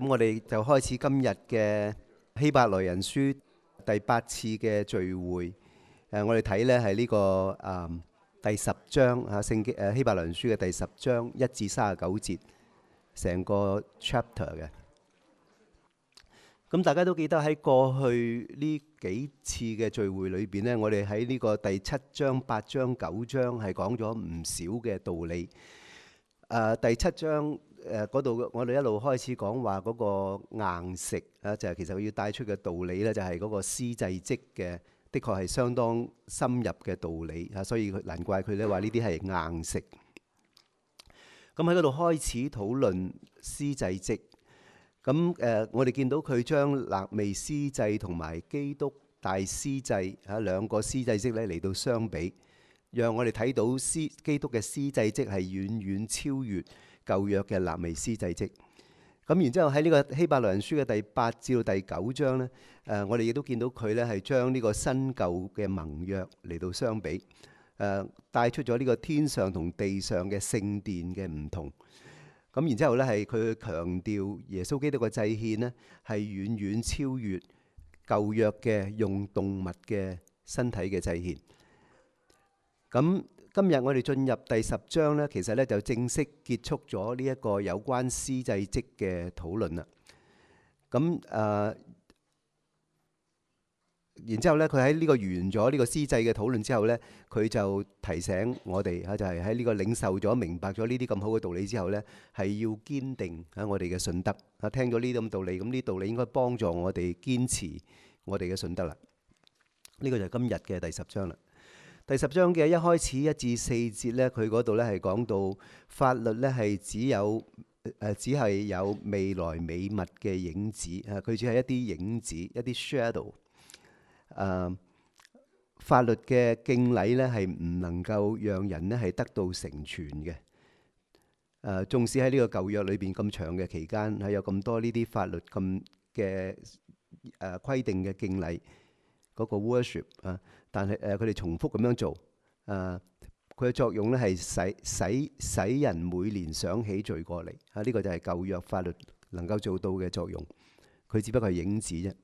咁我哋就開始今日嘅希伯來人書第8次嘅聚會。我哋睇呢係呢個第10章聖經希伯來人書嘅第10章1至39節，成個 chapter 嘅。咁大家都記得喺過去呢幾次嘅聚會裏邊呢，我哋喺呢個第7章、8章、9章係講咗唔少嘅道理。第7章嗰度我哋一路開始講話嗰個硬食就係其實佢要帶出嘅道理呢，就係嗰個司祭職嘅，的確係相當深入嘅道理所以難怪佢咧話呢啲係硬食。咁喺嗰度開始討論司祭職。咁我哋見到佢將肋未司祭同埋基督大司祭兩個司祭職咧嚟到相比，讓我哋睇到基督嘅司祭職係遠遠超越舊約嘅肋未司祭職。咁然之後喺呢個希伯來人書嘅第8至到第9章呢，我哋亦都見到佢咧係將呢個新舊嘅盟約嚟到相比，帶出咗呢個天上同地上嘅聖殿嘅唔同。咁然之後呢，係佢強調耶穌基督嘅祭獻呢係遠遠超越舊約嘅用動物嘅身體嘅祭獻。咁今日我哋進入第10章呢，其實呢就正式結束咗呢一個有關司祭職嘅討論啦。咁然之後呢，佢喺呢個完咗呢個司祭嘅討論之後呢，佢就提醒我哋就係喺呢個領受咗、明白咗呢啲咁好嘅道理之後呢，係要堅定我哋嘅信德。聽咗呢啲咁道理，咁呢道理應該幫助我哋堅持我哋嘅信德啦。呢個就係今日嘅第10章啦。第10章嘅一開始1至4節呢，佢嗰度呢係講到法律呢係只係有未來美物嘅影子，佢只係一啲影子，一啲 shadow。法律嘅敬禮呢係唔能夠讓人呢係得到成全嘅。縱使喺呢個舊約裏邊咁長嘅期間，係有咁多呢啲法律咁嘅規定嘅敬禮嗰個 worship 但係佢哋重複咁樣做，佢嘅作用呢係使人每年想起罪過嚟。呢個就係舊約法律能夠做到嘅作用，佢只不過係影子啫。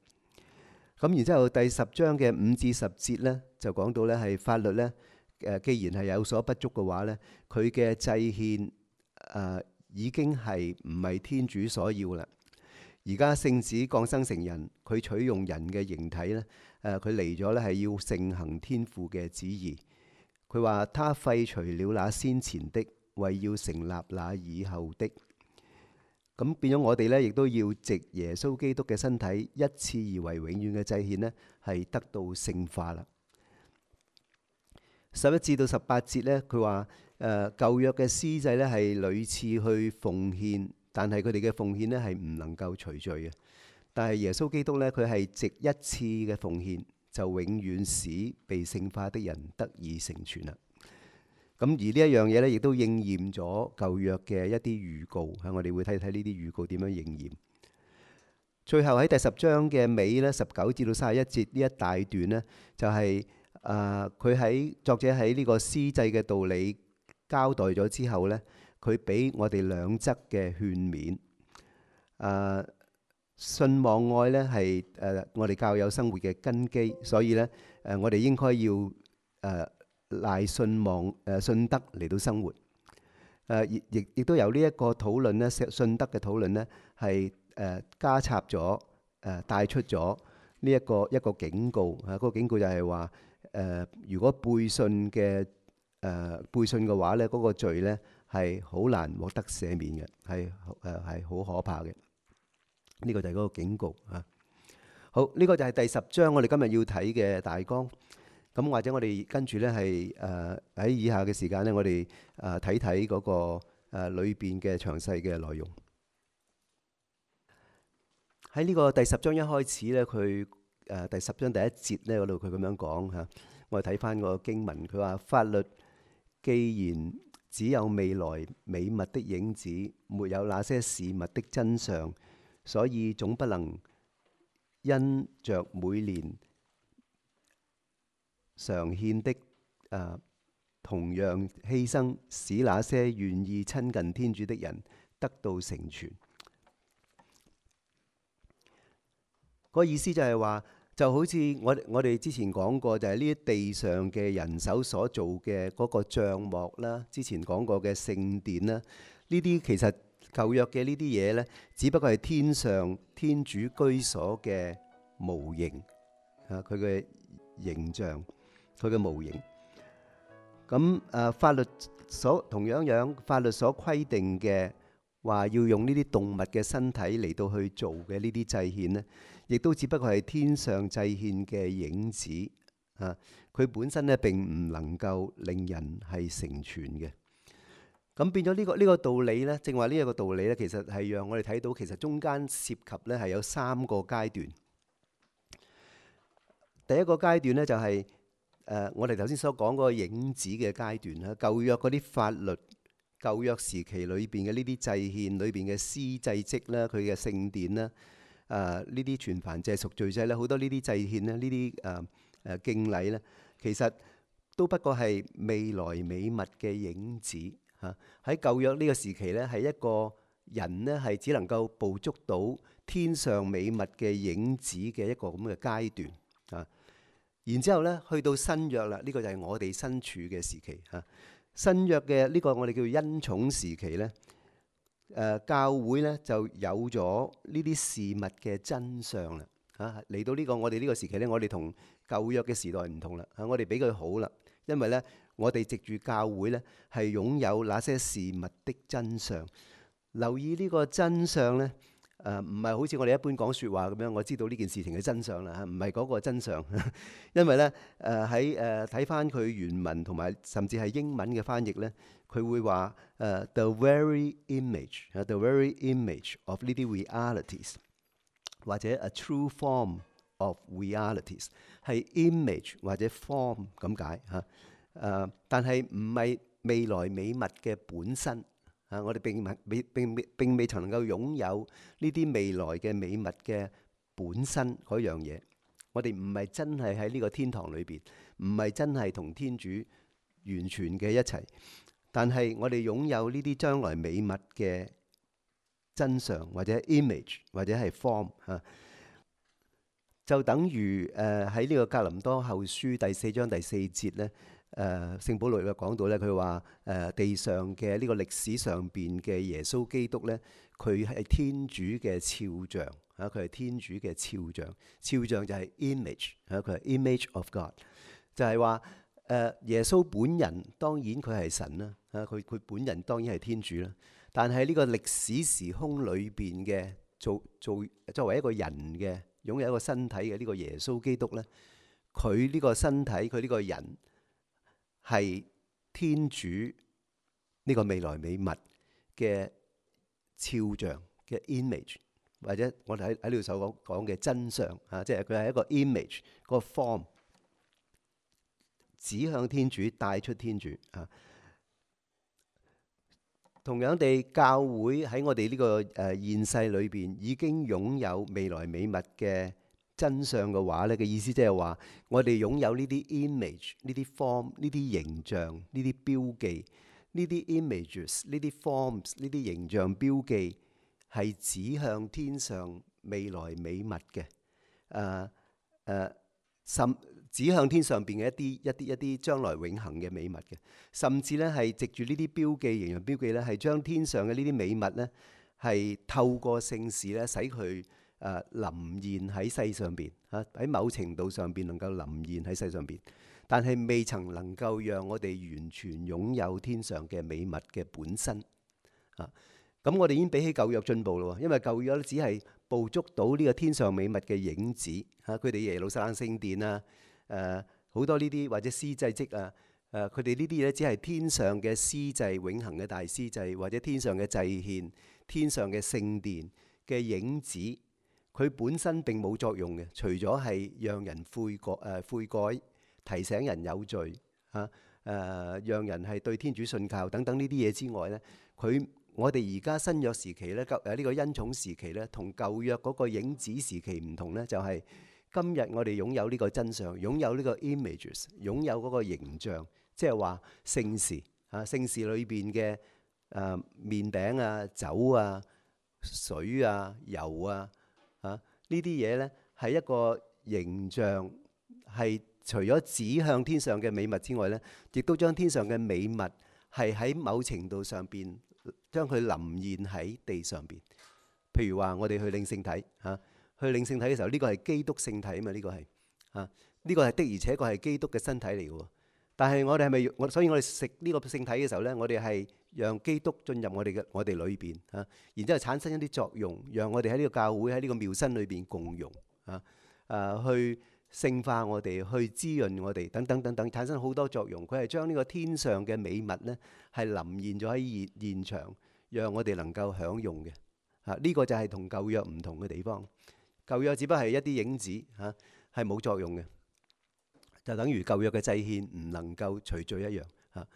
咁然之後第10章嘅5至10節呢，就講到呢係法律呢，既然係有所不足嘅話呢，佢嘅祭獻已經係唔係天主所要啦。而家聖子降生成人，佢取用人嘅形體呢，佢嚟咗呢係要承行天父嘅旨意。佢話他廢除了那先前的，為要成立那以後的。咁變咗我哋呢，亦都要藉耶穌基督嘅身體一次而為永遠嘅祭獻呢，係得到聖化啦。11至到18節呢，佢話舊約嘅司祭呢係屢次去奉獻，但係佢哋嘅奉獻呢係唔能夠除罪嘅。但係耶穌基督呢，佢係藉一次嘅奉獻，就永遠使被聖化的人得以成全啦。咁而呢一樣嘢呢，亦都應驗咗舊約嘅一啲預告。我哋會睇睇呢啲預告點樣應驗。最後喺第10章嘅尾呢，19至到31節呢一大段呢，就係佢作者喺呢個司祭嘅道理交代咗之後呢，佢俾我哋兩則嘅勸勉。信望愛呢係我哋教友生活嘅根基，所以呢，我哋應該要賴信德嚟到生活。亦都有呢一個討論呢，信德嘅討論呢係加插咗帶出咗呢一個警告。嗰個警告就係話如果背信嘅話呢，嗰個罪呢係好難獲得赦免嘅，係好可怕嘅。呢個就係嗰個警告。好，呢個就係第10章我哋今日要睇嘅大綱。咁或者我哋跟住呢係喺以下嘅時間呢，我哋睇睇嗰個裏邊嘅詳細嘅內容。喺呢個第10章一開始呢，佢第10章第1節呢嗰度佢咁樣講嚇。我哋睇翻個經文，佢話法律既然只有未來美物的影子，沒有那些事物的真相，所以總不能因着每年常獻的同樣犧牲，使那些願意親近天主的人得到成全。個意思就係話，就好似我哋之前講過，就係呢啲地上嘅人手所做嘅嗰個帳幕啦，之前講過嘅聖殿啦，呢啲其實舊約嘅呢啲嘢呢，只不過係天上天主居所嘅模型啊，佢嘅形象，佢嘅模型。咁法律同樣法律所規定嘅話要用呢啲動物嘅身體嚟到去做嘅呢啲祭獻呢，亦都只不過係天上祭獻嘅影子啊！佢本身呢並唔能夠令人係成全嘅。咁變咗呢個道理呢，正話呢一個道理呢，其實係讓我哋睇到其實中間涉及呢係有3個階段。第一個階段呢，就係我哋頭先所講嗰個影子嘅階段啦。舊約嗰啲法律，舊約時期裏邊嘅呢啲祭獻裏邊嘅司祭職啦，佢嘅聖殿啦，呢啲全燔祭贖罪祭咧，好多呢啲祭獻咧，呢啲敬禮咧，其實都不過係未來美物嘅影子嚇。喺舊約呢個時期咧，係一個人咧係只能夠捕捉到天上美物嘅影子嘅一個咁嘅階段啊。然之後咧，去到新約啦，呢個就係我哋身處嘅時期嚇。新約嘅呢個我哋叫做恩寵時期咧，教會咧就有咗呢啲事物嘅真相啦嚇。嚟到呢個我哋呢個時期咧，我哋同舊約嘅時代唔同啦嚇，我哋比佢好啦，因為咧我哋藉住教會咧係擁有那些事物的真相。留意呢個真相咧。唔係好似我哋一般講説話咁樣，我知道呢件事情嘅真相啦嚇，唔係嗰個真相。因為咧喺睇翻佢原文同埋甚至係英文嘅翻譯咧，佢會話the very image，the very image of 呢啲 realities， 或者 a true form of realities， 係 image 或者 form 咁解嚇。但係唔係未來美物嘅本身。我哋並未曾能夠擁有呢啲未來嘅美物嘅本身嗰樣嘢。我哋唔係真係喺呢個天堂裏邊，唔係真係同天主完全嘅一齊。但係我哋擁有呢啲將來美物嘅真相，或者 image， 或者係 form 嚇，就等於喺呢個格林多後書第4章第4節咧。聖保羅又講到咧，佢話地上嘅呢個歷史上邊嘅耶穌基督咧，佢係天主嘅肖像嚇，佢係天主嘅肖像。肖像就係 image 嚇，佢係 image of God， 就係話耶穌本人當然佢係神啦嚇，佢本人當然係天主啦。但係呢個歷史時空裏邊嘅作為一個人嘅擁有一個身體嘅呢個耶穌基督咧，佢呢個身體佢呢個人，係天主呢個未來美物嘅肖像嘅 image， 或者我哋喺呢度所講嘅真相啊，即係佢係一個 image 個 form， 指向天主，帶出天主啊。同樣地，教會喺我哋呢個現世裏邊已經擁有未來美物嘅真相嘅話咧，嘅意思即係話，我哋擁有呢啲 image、呢啲 form、呢啲形象、呢啲標記、呢啲 images、呢啲 forms、呢啲形象標記，係指向天上未來美物嘅，指向天上邊嘅一啲將來永恆嘅美物嘅，甚至咧係藉住呢啲標記、形象標記咧，係將天上嘅呢啲美物咧，係透過聖事咧，使佢臨現喺世上邊嚇，喺某程度上邊能夠臨現喺世上邊，但係未曾能夠讓我哋完全擁有天上嘅美物嘅本身啊。咁我哋已經比起舊約進步咯，因為舊約只係捕捉到呢個天上美物嘅影子嚇，佢哋耶路撒冷聖殿啊，好多呢啲或者司祭職啊，佢哋呢啲咧只係天上嘅司祭，永恆嘅大司祭，或者天上嘅祭獻、天上嘅聖殿嘅影子。佢本身並冇作用嘅，除咗係讓人悔改、提醒人有罪嚇，讓人係對天主信靠等等呢啲嘢之外咧，我哋而家新約時期咧，呢個恩寵時期咧，同舊約嗰個影子時期唔同咧，就係今日我哋擁有呢個真相，擁有呢個 images， 擁有嗰個形象，即係話聖事嚇，聖事裏邊嘅麵餅啊、酒啊、水啊、油啊。呢啲嘢咧係一個形象，係除咗指向天上嘅美物之外呢，亦都將天上嘅美物係喺某程度上邊將佢臨現喺地上邊。譬如話我哋去領聖體嚇，去領聖體嘅時候，呢個係基督聖體啊嘛，呢個係嚇，呢個係的而且確係基督嘅身體嚟嘅。但係我哋係咪所以我哋食呢個聖體嘅時候呢，我哋係讓基督進入我哋裏邊嚇，然之後產生一啲作用，讓我哋喺呢個教會喺呢個廟身裏邊共融嚇，去聖化我哋，去滋潤我哋，等等等等，產生好多作用。佢係將呢個天上嘅美物呢，係臨現咗喺現場，讓我哋能夠享用嘅嚇。呢個就係同舊約唔同嘅地方。舊約只不過係一啲影子嚇，係冇作用嘅。就等於舊約嘅祭獻唔能夠除罪一樣嚇。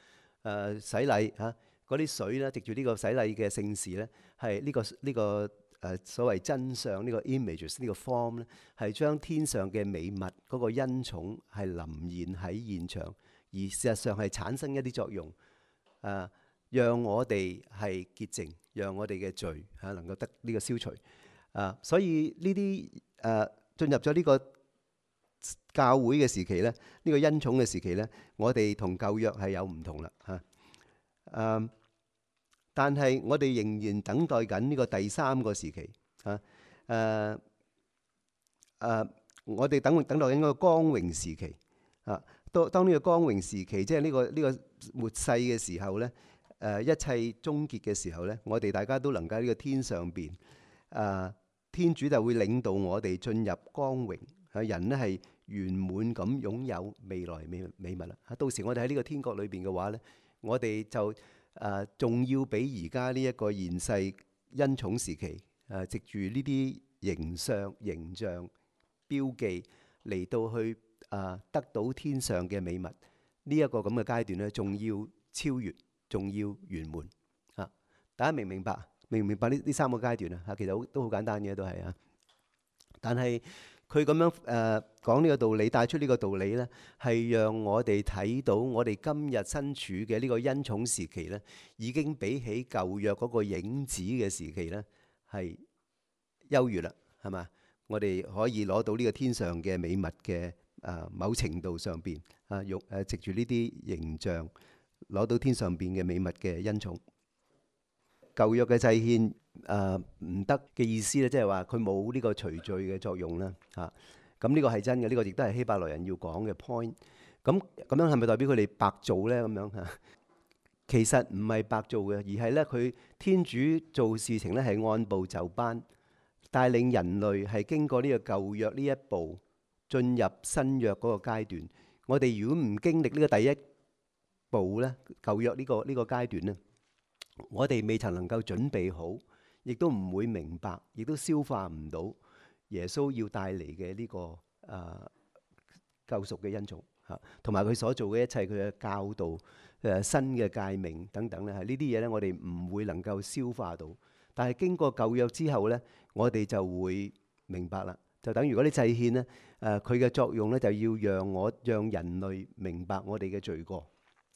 洗禮嚇，嗰啲水咧，藉住呢個洗禮嘅聖事咧，係呢個所謂真相呢個 images 呢個 form 咧，係將天上嘅美物嗰個恩寵係臨現喺現場，而事實上係產生一啲作用，讓我哋係潔淨，讓我哋嘅罪嚇能夠得呢個消除。所以呢啲進入咗呢個教會嘅時期咧，呢個恩寵嘅時期咧，我哋同舊約係有唔同啦嚇。但係我哋仍然等待緊呢個第三個時期嚇。我哋等待緊嗰個光榮時期啊。當呢個光榮時期，即係呢個末世嘅時候咧，一切終結嘅時候咧，我哋大家都能夠喺呢個天上邊，天主就會領導我哋進入光榮。人咧係圓滿咁擁有未來美物啦。到時我哋喺呢個天國裏邊嘅話咧，我哋就仲要比而家呢一個現世恩寵時期藉住呢啲形象標記嚟到去得到天上嘅美物，呢一個咁嘅階段咧，仲要超越，仲要圓滿啊！大家明唔明白？明唔明白呢三個階段啊？其實都好簡單嘅，都係啊。但係佢咁樣講呢個道理，帶出呢個道理呢，係讓我哋睇到我哋今日身處嘅呢個恩寵時期呢，已經比起舊約嗰個影子嘅時期呢，係優越啦，係嘛？我哋可以攞到呢個天上嘅美物嘅某程度上邊用藉住呢啲形象攞到天上邊嘅美物嘅恩寵。舊約嘅祭獻唔得嘅意思咧，即係話佢冇呢個除罪嘅作用啦嚇。咁呢個係真嘅，呢個亦都係希伯來人要講嘅 point。咁樣係咪代表佢哋白做咧？咁樣嚇，其實唔係白做嘅，而係咧佢天主做事情咧係按部就班，帶領人類係經過呢個舊約呢一步進入新約嗰個階段。我哋如果唔經歷呢個第一步咧，舊約呢個階段咧，我哋未曾能夠準備好，亦都唔會明白，亦都消化唔到耶穌要帶嚟嘅呢個救贖嘅恩寵嚇，同埋佢所做嘅一切，佢嘅教導、新嘅誡命等等咧，係呢啲嘢咧，我哋唔會能夠消化到。但係經過舊約之後咧，我哋就會明白啦。就等於嗰啲祭獻咧，佢嘅作用咧，就要讓人類明白我哋嘅罪過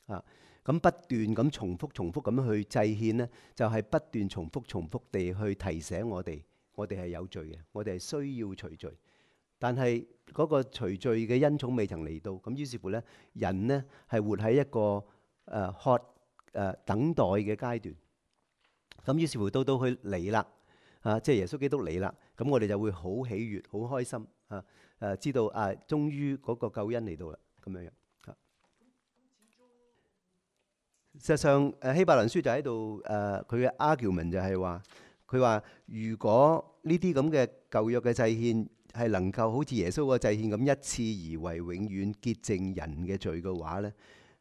啊。咁不斷咁重複咁去祭獻呢，就係不斷重複地去提醒我哋係有罪嘅，我哋係需要除罪。但係嗰個除罪嘅恩寵未曾嚟到，咁於是乎呢，人呢係活喺一個等待嘅階段。咁於是乎到佢嚟啦，即係耶穌基督嚟啦，咁我哋就會好喜悅、好開心知道終於嗰個救恩嚟到啦，咁樣樣。事實上，希伯來書就喺度佢嘅 argument 就係話，佢話如果呢啲咁嘅舊約嘅祭獻係能夠好似耶穌個祭獻咁一次而為永遠潔淨人嘅罪嘅話咧，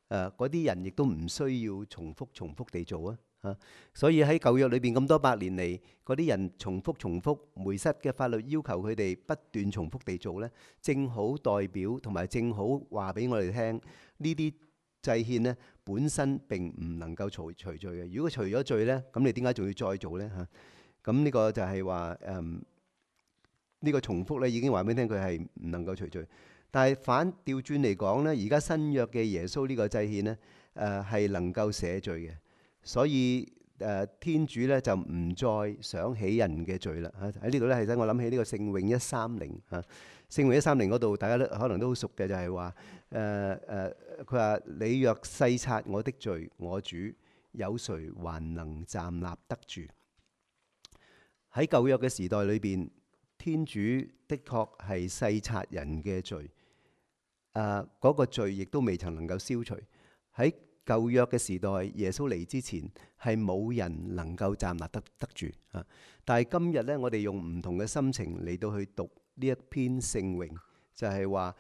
嗰啲人亦都唔需要重複地做啊。所以喺舊約裏邊咁多百年嚟，嗰啲人重複梅瑟嘅法律要求佢哋不斷重複地做咧，正好代表同埋正好話俾我哋聽呢啲祭獻咧本身並唔能夠除罪嘅。如果除咗罪咧，咁你點解仲要再做咧嚇？咁呢個就係話呢個重複咧已經話俾你聽，佢係唔能夠除罪。但係反調轉嚟講咧，而家新約嘅耶穌呢個祭獻咧係能夠赦罪嘅。所以天主咧就唔再想起人嘅罪啦。喺呢度咧係使我諗起呢個聖詠130嚇。聖詠130嗰度大家都可能都好熟嘅，就係話佢話你若細察我的罪，我主有誰還能站立得住？喺舊約嘅時代裏邊，天主的確係細察人嘅罪，嗰個罪亦都未曾能夠消除。喺舊約嘅時代，耶穌嚟之前係冇人能夠站立得住啊！但係今日呢，我哋用唔同嘅心情嚟到去讀呢一篇聖詠，就係話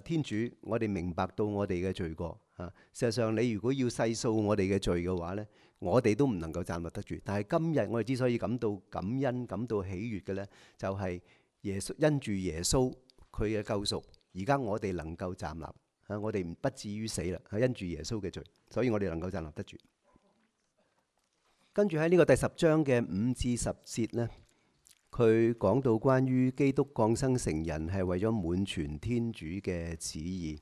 天主，我哋明白到我哋嘅罪過啊！事實上，你如果要細數我哋嘅罪嘅話呢，我哋都唔能夠站立得住。但係今日我哋之所以感到感恩、感到喜悅嘅呢，就係耶穌因住耶穌佢嘅救贖，而家我哋能夠站立。我哋不至於死啦，因住耶穌嘅罪，所以我哋能夠站立得住。跟住喺呢個第10章嘅5至10節呢，佢講到關於基督降生成人係為咗滿全天主嘅旨意。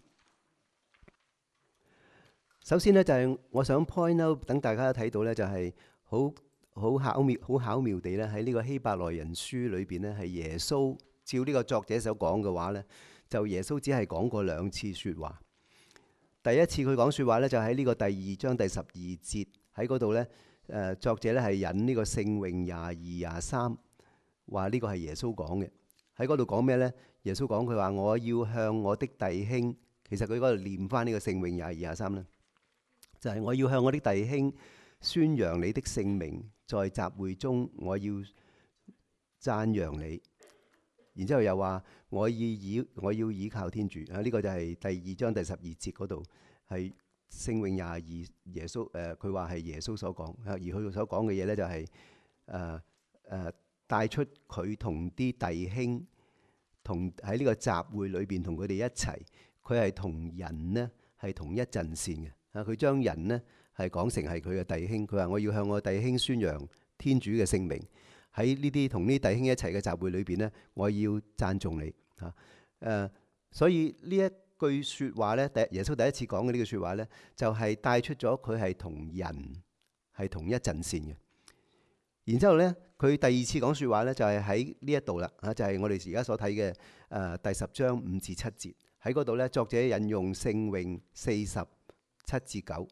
首先呢，就係我想 point out，等大家睇到呢，就係好巧妙地咧喺呢個希伯來人書裏邊呢，係耶穌照呢個作者所講嘅話呢，就耶穌只係講過2次説話。第一次佢講説話呢，就喺呢個第2章第12節喺嗰度呢。作者呢係引呢個聖詠22、23，話呢個係耶穌講嘅。喺嗰度講咩呢？耶穌講佢話：我要向我的弟兄，其實佢嗰度念翻呢個聖詠22、23呢，就係我要向我的弟兄宣揚你的聖名，在集會中我要讚揚你。然之後又話我要倚靠天主啊！呢個就係第2章第12節嗰度係聖詠22耶穌佢話係耶穌所講，而佢所講嘅嘢呢，就係帶出佢同啲弟兄同喺呢個集會裏邊同佢哋一齊，佢係同人呢係同一陣線嘅啊！佢將人呢係講成係佢嘅弟兄，佢話我要向我弟兄宣揚天主嘅聖名。喺呢啲同呢啲弟兄一齊嘅集會裏邊呢，我要讚頌你嚇。所以呢一句説話呢，耶穌第一次講嘅呢句説話呢，就係帶出咗佢係同人係同一陣線嘅。然之後呢，佢第2次講説話呢，就係喺呢一度啦嚇，就係我哋而家所睇嘅第10章5至7節喺嗰度呢，作者引用聖詠47至9。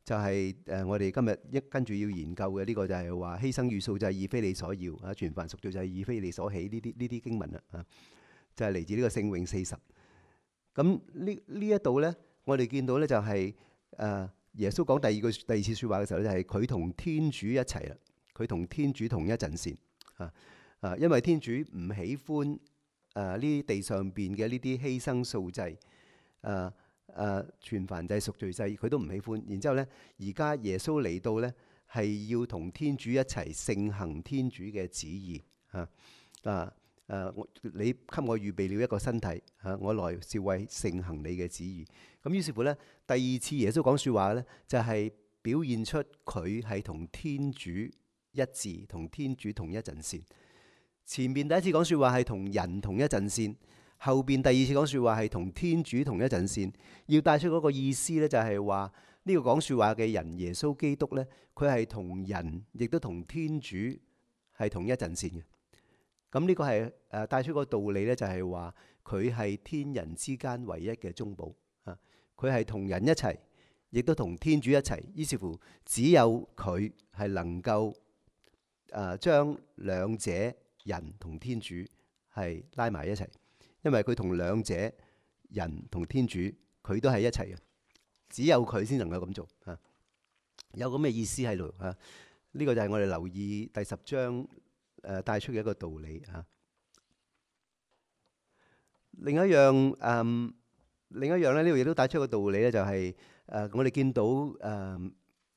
就係我哋今日跟住要研究嘅呢個就係話犧牲與素祭以非你所要啊，全凡贖罪祭以非你所喜呢啲經文啦啊，就係嚟自呢個聖詠40。咁呢一度呢，我哋見到呢就係耶穌講第二次説話嘅時候呢，就係佢同天主一齊啦，佢同天主同一陣線啊，因為天主唔喜歡呢啲地上邊嘅呢啲犧牲素祭全燔祭贖罪祭佢都唔喜歡。然之後呢，而家耶穌嚟到呢，係要同天主一齊承行天主嘅旨意你給我預備了一個身體我來是為承行你嘅旨意。咁於是乎呢，第2次耶穌講説話呢，就係表現出佢係同天主一致，同天主同一陣線。前面第一次講説話係同人同一陣線，後邊第2次講説話係同天主同一陣線。要帶出嗰個意思呢，就係話呢個講説話嘅人耶穌基督呢，佢係同人亦都同天主係同一陣線嘅。咁呢個係帶出個道理呢，就係話佢係天人之間唯一嘅中保啊！佢係同人一齊，亦都同天主一齊。於是乎，只有佢係能夠將兩者人同天主係拉埋一齊，因為佢同兩者人同天主佢都係一齊嘅，只有佢先能夠咁做啊！有咁嘅意思喺度啊！呢個就係我哋留意第10章帶出嘅一個道理嚇。另一樣咧，呢度亦都帶出一個道理咧，就係我哋見到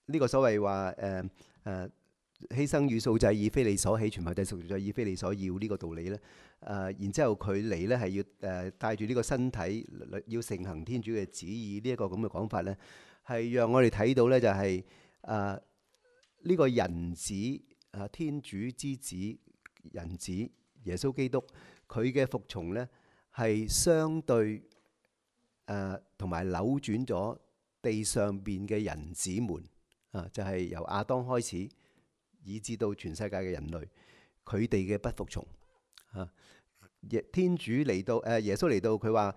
呢個所謂話犧牲與素祭以非你所喜，全燔祭贖罪祭以非你所要呢個道理咧。然之後佢嚟咧係要帶住呢個身體要承行天主嘅旨意呢一個咁嘅講法咧，係讓我哋睇到咧就係呢個人子。天主之子人子耶穌基督，佢嘅服從呢係相對同埋扭轉咗地上邊嘅人子們就係由亞當開始，以至到全世界嘅人類，佢哋嘅不服從啊。天主嚟到，耶穌嚟到，佢話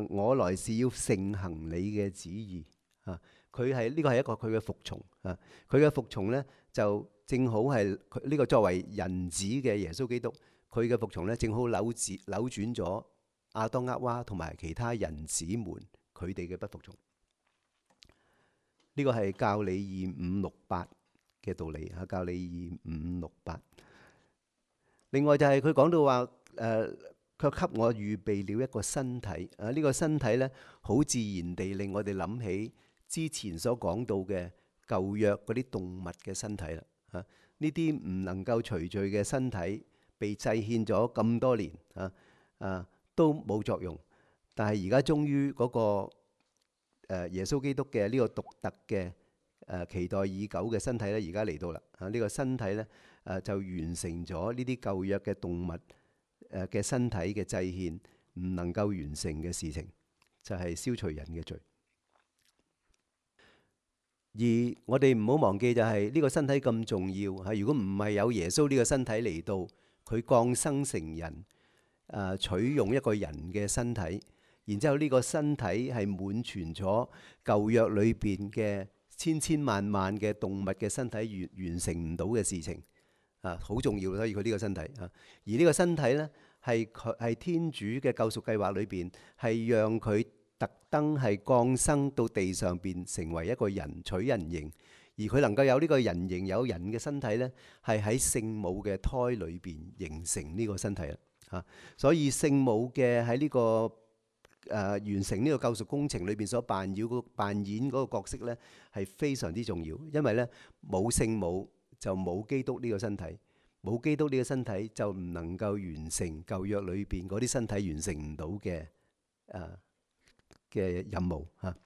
我來是要承行你嘅旨意啊。佢係呢個係一個佢嘅服從啊。佢嘅服從呢，就正好係呢個作為人子嘅耶穌基督，佢嘅服從呢，正好扭轉咗亞當厄娃同埋其他人子們佢哋嘅不服從。呢個係教理2568嘅道理嚇，教理2568。另外就係佢講到話卻給我預備了一個身體啊！呢個身體呢，好自然地令我哋諗起之前所講到嘅舊約嗰啲動物嘅身體啦嚇。呢啲唔能夠除罪嘅身體，被祭獻咗咁多年都冇作用。但係而家終於嗰個耶穌基督嘅呢個獨特嘅期待已久嘅身體咧，而家嚟到啦嚇。呢個身體咧就完成咗呢啲舊約嘅動物嘅身體嘅祭獻唔能夠完成嘅事情，就係消除人嘅罪。而我哋唔好忘記就係呢個身體咁重要嚇。如果唔係有耶穌呢個身體嚟到，佢降生成人，取用一個人嘅身體，然之後呢個身體係滿全咗舊約裏邊嘅千千萬萬嘅動物嘅身體完成唔到嘅事情啊，好重要。所以佢呢個身體啊，而呢個身體呢，係天主嘅救贖計劃裏邊係讓佢特登係降生到地上邊，成為一個人，取人形，而佢能夠有呢個人形，有人嘅身體呢，係喺聖母嘅胎裏邊形成呢個身體啦嚇。所以聖母嘅喺呢個完成呢個救贖工程裏邊所扮演嗰個角色呢，係非常之重要。因為呢，冇聖母就冇基督呢個身體，冇基督呢個身體就唔能夠完成舊約裏邊嗰啲身體完成唔到嘅任務嚇。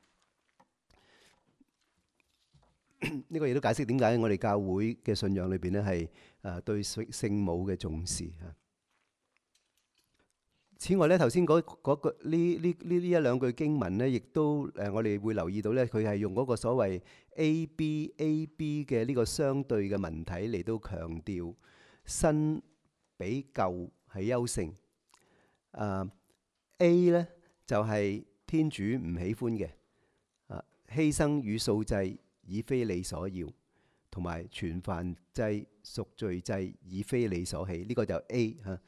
呢個亦都解釋點解我哋教會嘅信仰裏邊呢係對聖母嘅重視嚇。此外咧，頭先嗰呢一兩句經文咧，亦都我哋會留意到咧，佢係用嗰個所謂 AB 嘅呢個相對嘅文體嚟到強調新比舊係優勝。A 咧就係天主唔喜歡嘅，犧牲與素祭已非你所要，同埋全燔祭贖罪祭已非你所喜。呢個就 A 嚇。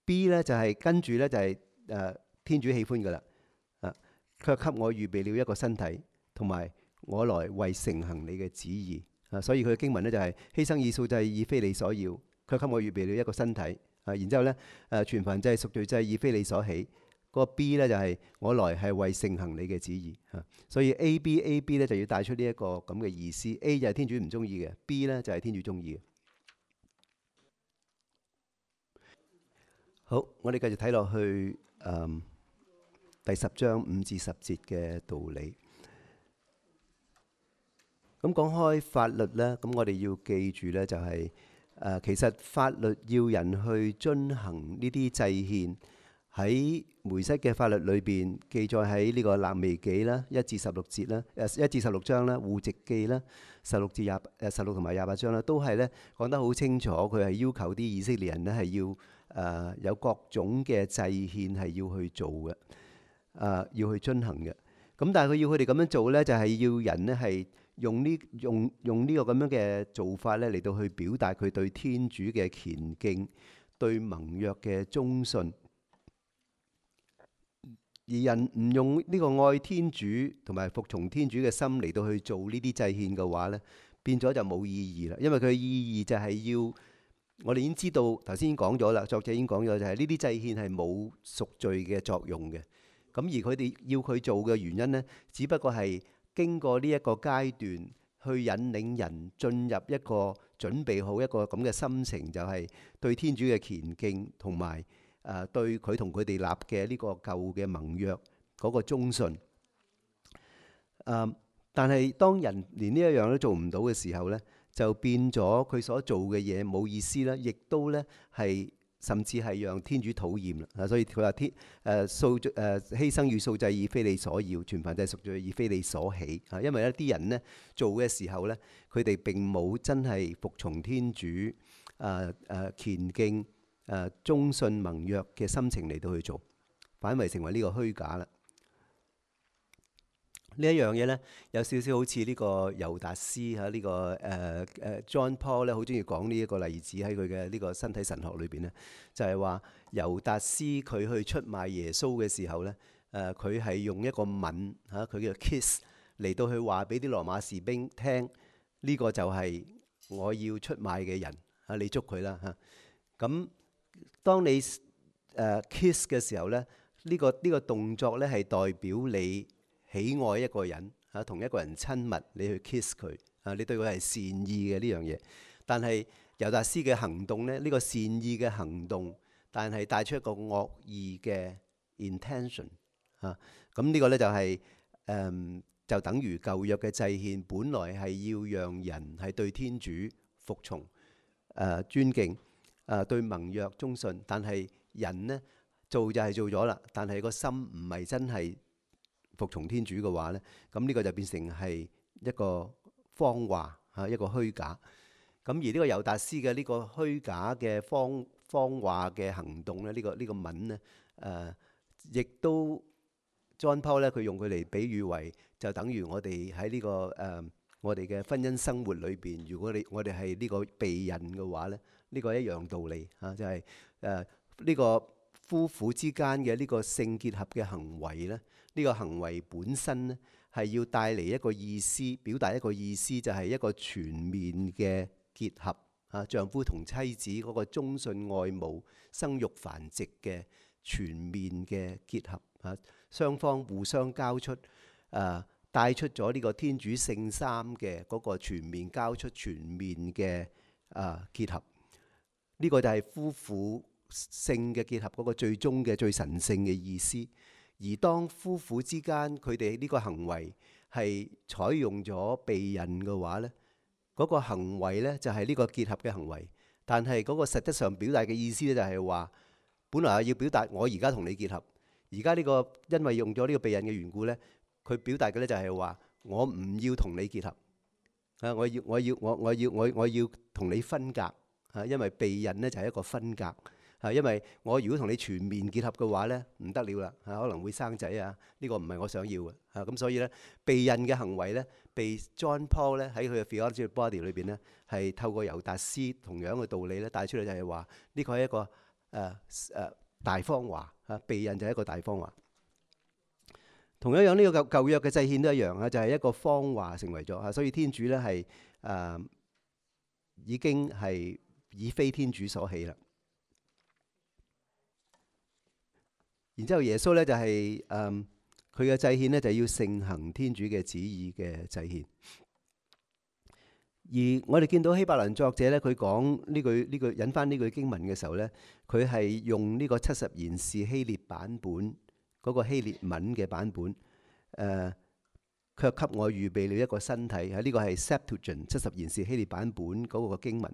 B 咧就係跟住咧就係天主喜歡噶啦，卻給我預備了一個身體，同埋我來為承行你嘅旨意所以佢嘅經文咧就係犧牲以素祭已非你所要，卻給我預備了一個身體然之後咧全燔祭贖罪祭已非你所喜。嗰個 B 咧就係我來係為承行你嘅旨意所以 A B 咧就要帶出呢一個咁嘅意思。A 就係天主唔中意嘅， B 咧就係天主中意嘅。好，我哋繼續睇落去第10章5至10節嘅道理。咁講開法律呢，咁我哋要記住呢，就係其實法律要人去遵行呢啲祭獻，喺梅瑟嘅法律裏邊記載喺呢個肋未紀啦1至16節啦，1至16章啦，戶籍記啦16同埋28章啦，都係呢講得好清楚，佢係要求啲以色列人呢係要有各種嘅祭獻係要去做嘅，要去遵行嘅。咁但係佢要佢哋咁樣做呢，就係要人呢係用呢個咁樣嘅做法呢嚟到去表達佢對天主嘅虔敬，對盟約嘅忠信。而人唔用呢個愛天主同埋服從天主嘅心嚟到去做呢啲祭獻嘅話呢，變咗就冇意義啦。因為佢嘅意義就係要我哋已經知道，頭先已經講咗啦，作者已經講咗，就係呢啲祭獻係冇贖罪嘅作用嘅。咁而佢哋要佢做嘅原因呢，只不過係經過呢一個階段去引領人進入一個準備好一個咁嘅心情，就係對天主嘅虔敬同埋對佢同佢哋立嘅呢個舊嘅盟約嗰個忠信。但係當人連呢一樣都做唔到嘅時候呢，就變咗佢所做嘅嘢冇意思啦，亦都呢係甚至係讓天主討厭啦。所以佢話犧牲與素祭已非你所要，全燔祭贖罪已非你所喜。因為啲人呢做嘅時候呢，佢哋並冇真係服從天主虔敬忠信盟約嘅心情嚟到去做，反為成為呢個虛假啦。呢一樣嘢呢，有少少好似呢個猶達斯呢個John Paul 咧，好中意講呢一個例子喺佢嘅呢個身體神學裏邊呢，就係話猶達斯佢去出賣耶穌嘅時候呢，佢係用一個吻佢嘅 kiss 嚟到去話俾啲羅馬士兵聽，呢個就係我要出賣嘅人你捉佢啦嚇。咁當你kiss 嘅時候呢，呢個動作呢係代表你喜愛一個人同一個人親密，你去 kiss 佢你對佢係善意嘅呢樣嘢。但係猶達斯嘅行動呢，呢個善意嘅行動，但係帶出一個惡意嘅 intention 咁呢個呢就係就等於舊約嘅祭獻，本來係要讓人係對天主服從尊敬對盟約忠信，但係人呢做就係做咗啦，但係個心唔係真係服從天主嘅話呢，咁呢個就變成係一個謊話一個虛假。咁而呢個猶達斯嘅呢個虛假嘅謊話嘅行動呢，呢個吻呢，亦都 John Paul 咧，佢用佢嚟比喻為就等於我哋喺呢個我哋嘅婚姻生活裏邊，如果我哋係呢個避孕嘅話呢，呢個一樣道理就係呢個夫婦之間嘅呢個性結合嘅行為呢，呢個行為本身呢係要帶嚟一個意思，表達一個意思，就係一個全面嘅結合丈夫同妻子嗰個忠信愛慕、生育繁殖嘅全面嘅結合雙方互相交出帶出咗呢個天主聖三嘅嗰個全面交出、全面嘅結合。呢個就係夫婦性嘅結合嗰個最終嘅最神聖嘅意思。而當夫婦之間佢哋呢個行為係採用咗避孕嘅話呢，嗰個行為呢就係呢個結合嘅行為，但係嗰個實質上表達嘅意思呢，就係話本來係要表達我而家同你結合，而家呢個因為用咗呢個避孕嘅緣故呢，佢表達嘅呢就係話我唔要同你結合我要同你分隔因為避孕呢就係一個分隔因為我如果同你全面結合嘅話呢，唔得了啦可能會生仔呢個唔係我想要嘅咁所以呢，避孕嘅行為呢，被 John Paul 呢喺佢嘅 Theology of Body 裏邊呢，係透過猶達斯同樣嘅道理呢帶出嚟，就係話呢個係一個大謊話避孕就係一個大謊話。同樣樣呢個舊約嘅祭獻都一樣就係一個謊話成為咗所以天主呢係已經係已非天主所喜啦。然之後耶穌呢就係佢嘅祭獻呢就要盛行天主嘅旨意嘅祭獻。而我哋見到希伯來作者呢，佢講呢句引翻呢句經文嘅時候呢，佢係用呢個70賢士希臘版本嗰個希臘文嘅版本卻給我預備了一個身體呢個係 Septuagint 70賢士希臘版本嗰個經文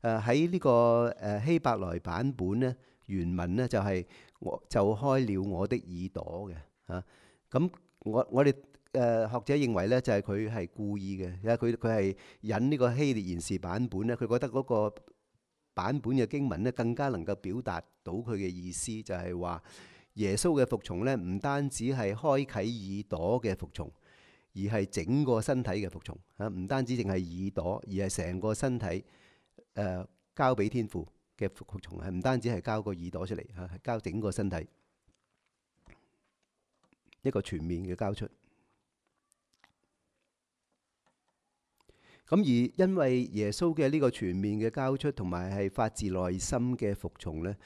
喺呢個希伯來版本呢，原文呢就係我就開了我的耳朵嘅咁我哋學者認為呢，就係佢係故意嘅，因為佢係引呢個希臘賢士版本呢，佢覺得嗰個版本嘅經文呢更加能夠表達到佢嘅意思，就係話耶穌嘅服從呢，唔單止係開啟耳朵嘅服從，而係整個身體嘅服從唔單止淨係耳朵，而係成個身體交俾天父嘅服從，係唔單止係交個耳朵出嚟係交整個身體一個全面嘅交出。咁而因為耶穌嘅呢個全面嘅交出，同埋係發自內心嘅服從呢，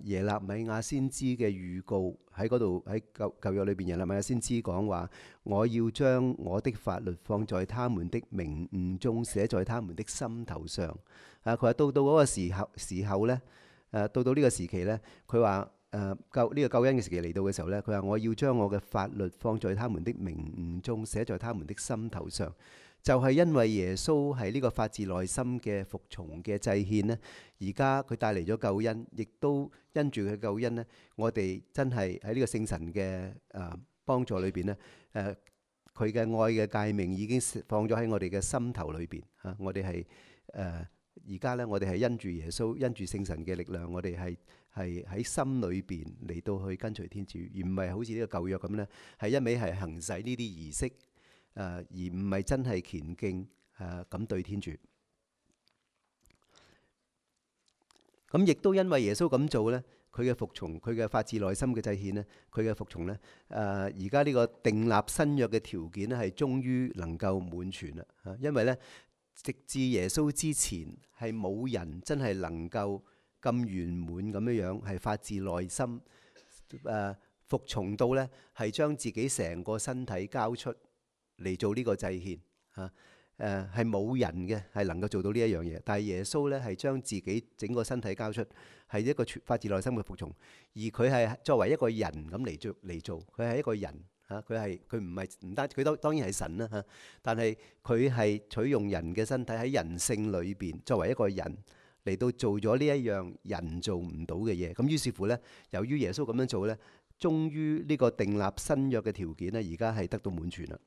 耶肋米亞先知嘅預告喺嗰度喺舊約裏邊，耶肋米亞先知講話：我要將我的法律放在他們的明悟中，寫在他們的心頭上。佢話到嗰個時候呢，到呢個時期呢，佢話呢個救恩嘅時期嚟到嘅時候呢，佢話我要將我嘅法律放在他們的明悟中，寫在他們的心頭上。就係因為耶穌係呢個發自內心嘅服從嘅祭獻呢，而家佢帶嚟咗救恩，亦都因住佢救恩呢，我哋真係喺呢個聖神嘅幫助裏邊呢，佢嘅愛嘅誡命已經放咗喺我哋嘅心頭裏邊嚇。我哋係而家呢，我哋係因住耶穌，因住聖神嘅力量，我哋係喺心裏邊嚟到去跟隨天主，而唔係好似呢個舊約咁呢，係一味係行使呢啲儀式，而唔係真係虔敬咁對天主。咁亦都因為耶穌咁做呢，佢嘅服從，佢嘅發自內心嘅祭獻呢，佢嘅服從呢，而家呢個訂立新約嘅條件呢，係終於能夠滿全啦。因為呢，直至耶穌之前係冇人真係能夠咁圓滿咁樣樣，係發自內心服從到呢，係將自己成個身體交出嚟做呢個祭獻嚇。係冇人嘅係能夠做到呢一樣嘢，但係耶穌呢，係將自己整個身體交出，係一個發自內心嘅服從，而佢係作為一個人咁嚟做，佢係一個人嚇，佢唔單佢當然係神啦嚇，但係佢係取用人嘅身體喺人性裏邊，作為一個人嚟到做咗呢一樣人做唔到嘅嘢。咁於是乎呢，由於耶穌咁樣做呢，終於呢個訂立新約嘅條件呢，而家係得到滿全啦。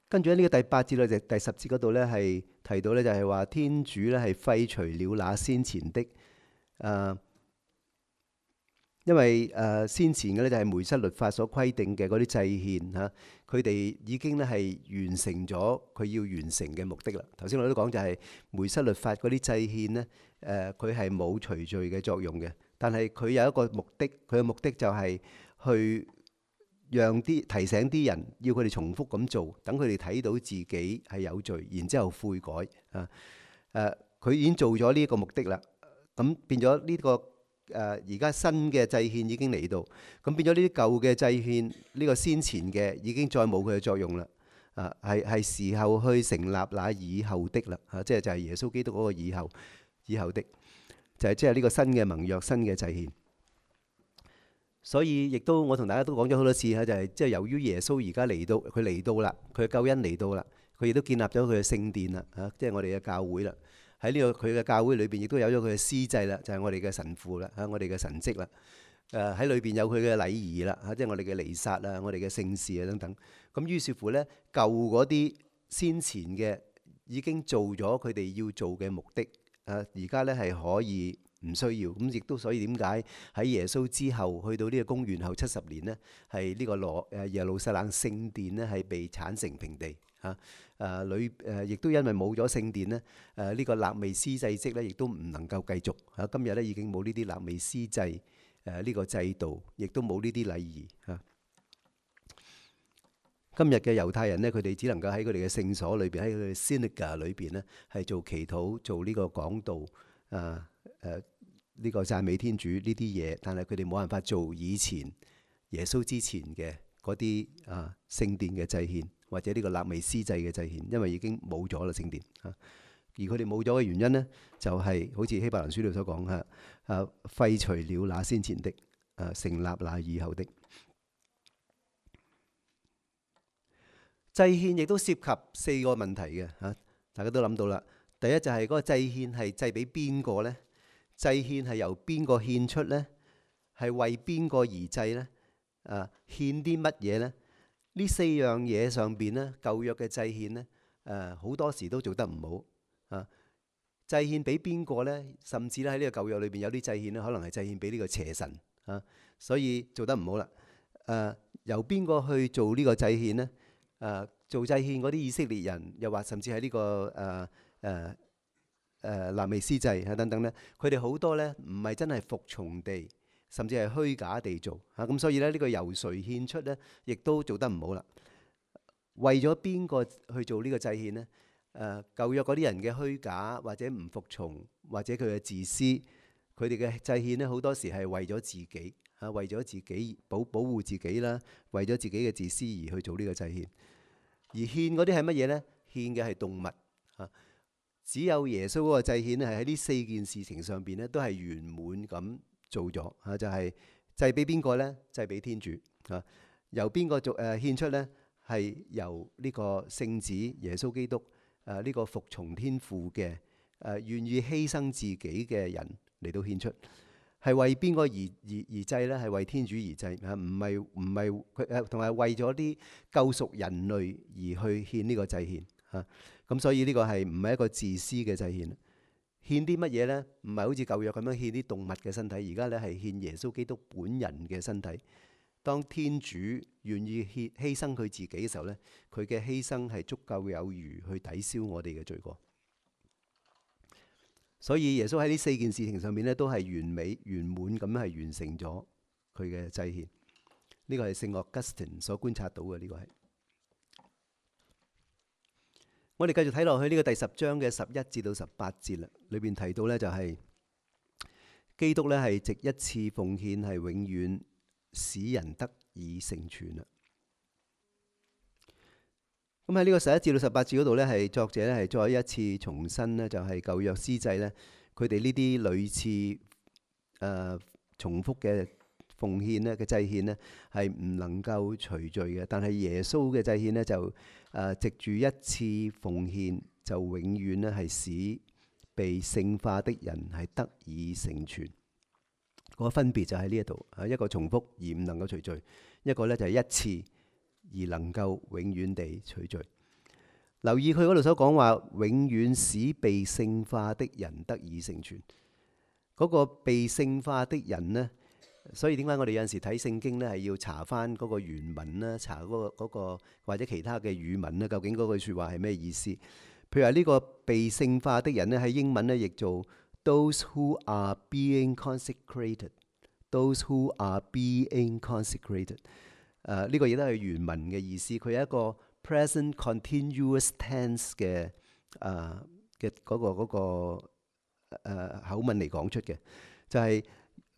跟住喺呢個第8節到第10節嗰度呢，係提到呢，就係話天主呢係廢除了那先前的，因為先前嘅呢，就係梅瑟律法所規定嘅嗰啲祭獻嚇，佢哋已經呢係完成咗佢要完成嘅目的啦。頭先我都講就係梅瑟律法嗰啲祭獻呢，佢係冇除罪嘅作用嘅，但係佢有一個目的，佢嘅目的就係去讓提醒啲人，要佢哋重複咁做，等佢哋睇到自己係有罪，然之後悔改佢已經做咗呢一個目的啦。咁變咗呢個而家新嘅祭獻已經嚟到，咁變咗呢啲舊嘅祭獻，呢個先前嘅已經再冇佢嘅作用啦。係時候去成立那以後的啦。即係就係耶穌基督嗰個以後的，就係即係呢個新嘅盟約、新嘅祭獻。所以亦都我同大家都講咗好多次嚇，就係即係由於耶穌而家嚟到，佢嚟到啦，佢嘅救恩嚟到啦，佢亦都建立咗佢嘅聖殿啦嚇，即係我哋嘅教會啦。喺呢個佢嘅教會裏邊，亦都有咗佢嘅司祭啦，就係我哋嘅神父啦嚇，我哋嘅神職啦。喺裏邊有佢嘅禮儀啦嚇，即係我哋嘅彌撒啊，我哋嘅聖事啊等等。咁於是乎呢，舊嗰啲先前嘅已經做咗佢哋要做嘅目的，而家呢係可以唔需要。咁亦都所以點解喺耶穌之後去到呢個公元後70年呢，係呢個耶路撒冷聖殿呢係被剷成平地嚇。亦都因為冇咗聖殿呢，呢個肋未司祭職呢亦都唔能夠繼續嚇。今日呢已經冇呢啲肋未司祭呢個制度，亦都冇呢啲禮儀嚇。今日嘅猶太人呢，佢哋只能夠喺佢哋嘅聖所裏邊，喺佢哋 synagogue 裏邊呢，係做祈禱、做呢個講道、呢個讚美天主呢啲嘢，但係佢哋冇辦法做以前耶穌之前嘅嗰啲聖殿嘅祭獻，或者呢個肋未司祭嘅祭獻，因為已經冇咗啦聖殿嚇。而佢哋冇咗嘅原因呢，就係好似希伯蘭書裏所講嚇，廢除了那先前的，成立那以後的。祭獻亦都涉及4個問題嘅嚇，大家都諗到啦。第一就係嗰個祭獻係祭俾邊個呢？祭獻係由邊個獻出呢？係為邊個而祭呢？獻啲乜嘢呢？呢4樣嘢上邊呢，舊約嘅祭獻呢，好多時都做得唔好。祭獻俾邊個呢？甚至咧喺呢個舊約裏邊有啲祭獻呢，可能係祭獻俾呢個邪神所以做得唔好啦。由邊個去做呢個祭獻呢？做祭獻嗰啲以色列人，又或甚至喺呢個肋未司祭等等呢，佢哋好多呢唔係真係服從地，甚至係虛假地做咁，所以呢，呢個由誰獻出呢，亦都做得唔好啦。為咗邊個去做呢個祭獻呢？舊約嗰啲人嘅虛假或者唔服從，或者佢嘅自私，佢哋嘅祭獻呢，好多時係為咗自己為咗自己保護自己啦，為咗自己嘅自私而去做呢個祭獻。而獻嗰啲係乜嘢呢？獻嘅係動物只有耶穌嗰個祭獻呢，係喺呢4件事情上邊呢，都係圓滿咁做咗就係祭俾邊個呢？祭俾天主由邊個獻出呢？係由呢個聖子耶穌基督呢個服從天父嘅願意犧牲自己嘅人嚟到獻出。係為邊個而祭呢？係為天主而祭啊！唔係佢同埋為咗啲救贖人類而去獻呢個祭獻啊！咁所以呢個係唔係一個自私嘅祭獻？獻啲乜嘢呢？唔係好似舊約咁樣獻啲動物嘅身體，而家咧係獻耶穌基督本人嘅身體。當天主願意犧牲佢自己嘅時候呢，佢嘅犧牲係足夠有餘去抵消我哋嘅罪過。所以耶穌喺呢4件事情上面咧，都係完美圓滿咁係完成咗佢嘅祭獻。呢個係聖奧古斯丁所觀察到嘅。呢個係我哋繼續睇落去呢個第10章嘅11至到18節啦。裏邊提到呢，就係基督呢係藉一次奉獻係永遠使人得以成全啦。咁喺呢個11至到18節嗰度呢，係作者咧係再一次重申呢，就係舊約司祭呢，佢哋呢啲類似重複嘅奉獻呢嘅祭獻呢，係唔能夠除罪嘅。但係耶穌嘅祭獻呢，就藉住一次奉獻，就永遠呢係使被聖化的人係得以成全。個分別就喺呢一度，一個重複而唔能夠除罪，一個呢就係一次而能夠永遠地除罪。留意佢嗰度所講話，永遠使被聖化的人得以成全。嗰個被聖化的人呢，所以點解我哋有陣時睇聖經呢，係要查翻嗰個原文啦，查嗰個或者其他嘅語文呢，究竟嗰句説話係咩意思？譬如話呢個被聖化的人呢，喺英文呢譯做 those who are being consecrated，those who are being consecrated。呢個亦都係原文嘅意思，佢係一個 present continuous tense 嘅嗰個口吻嚟講出嘅，就係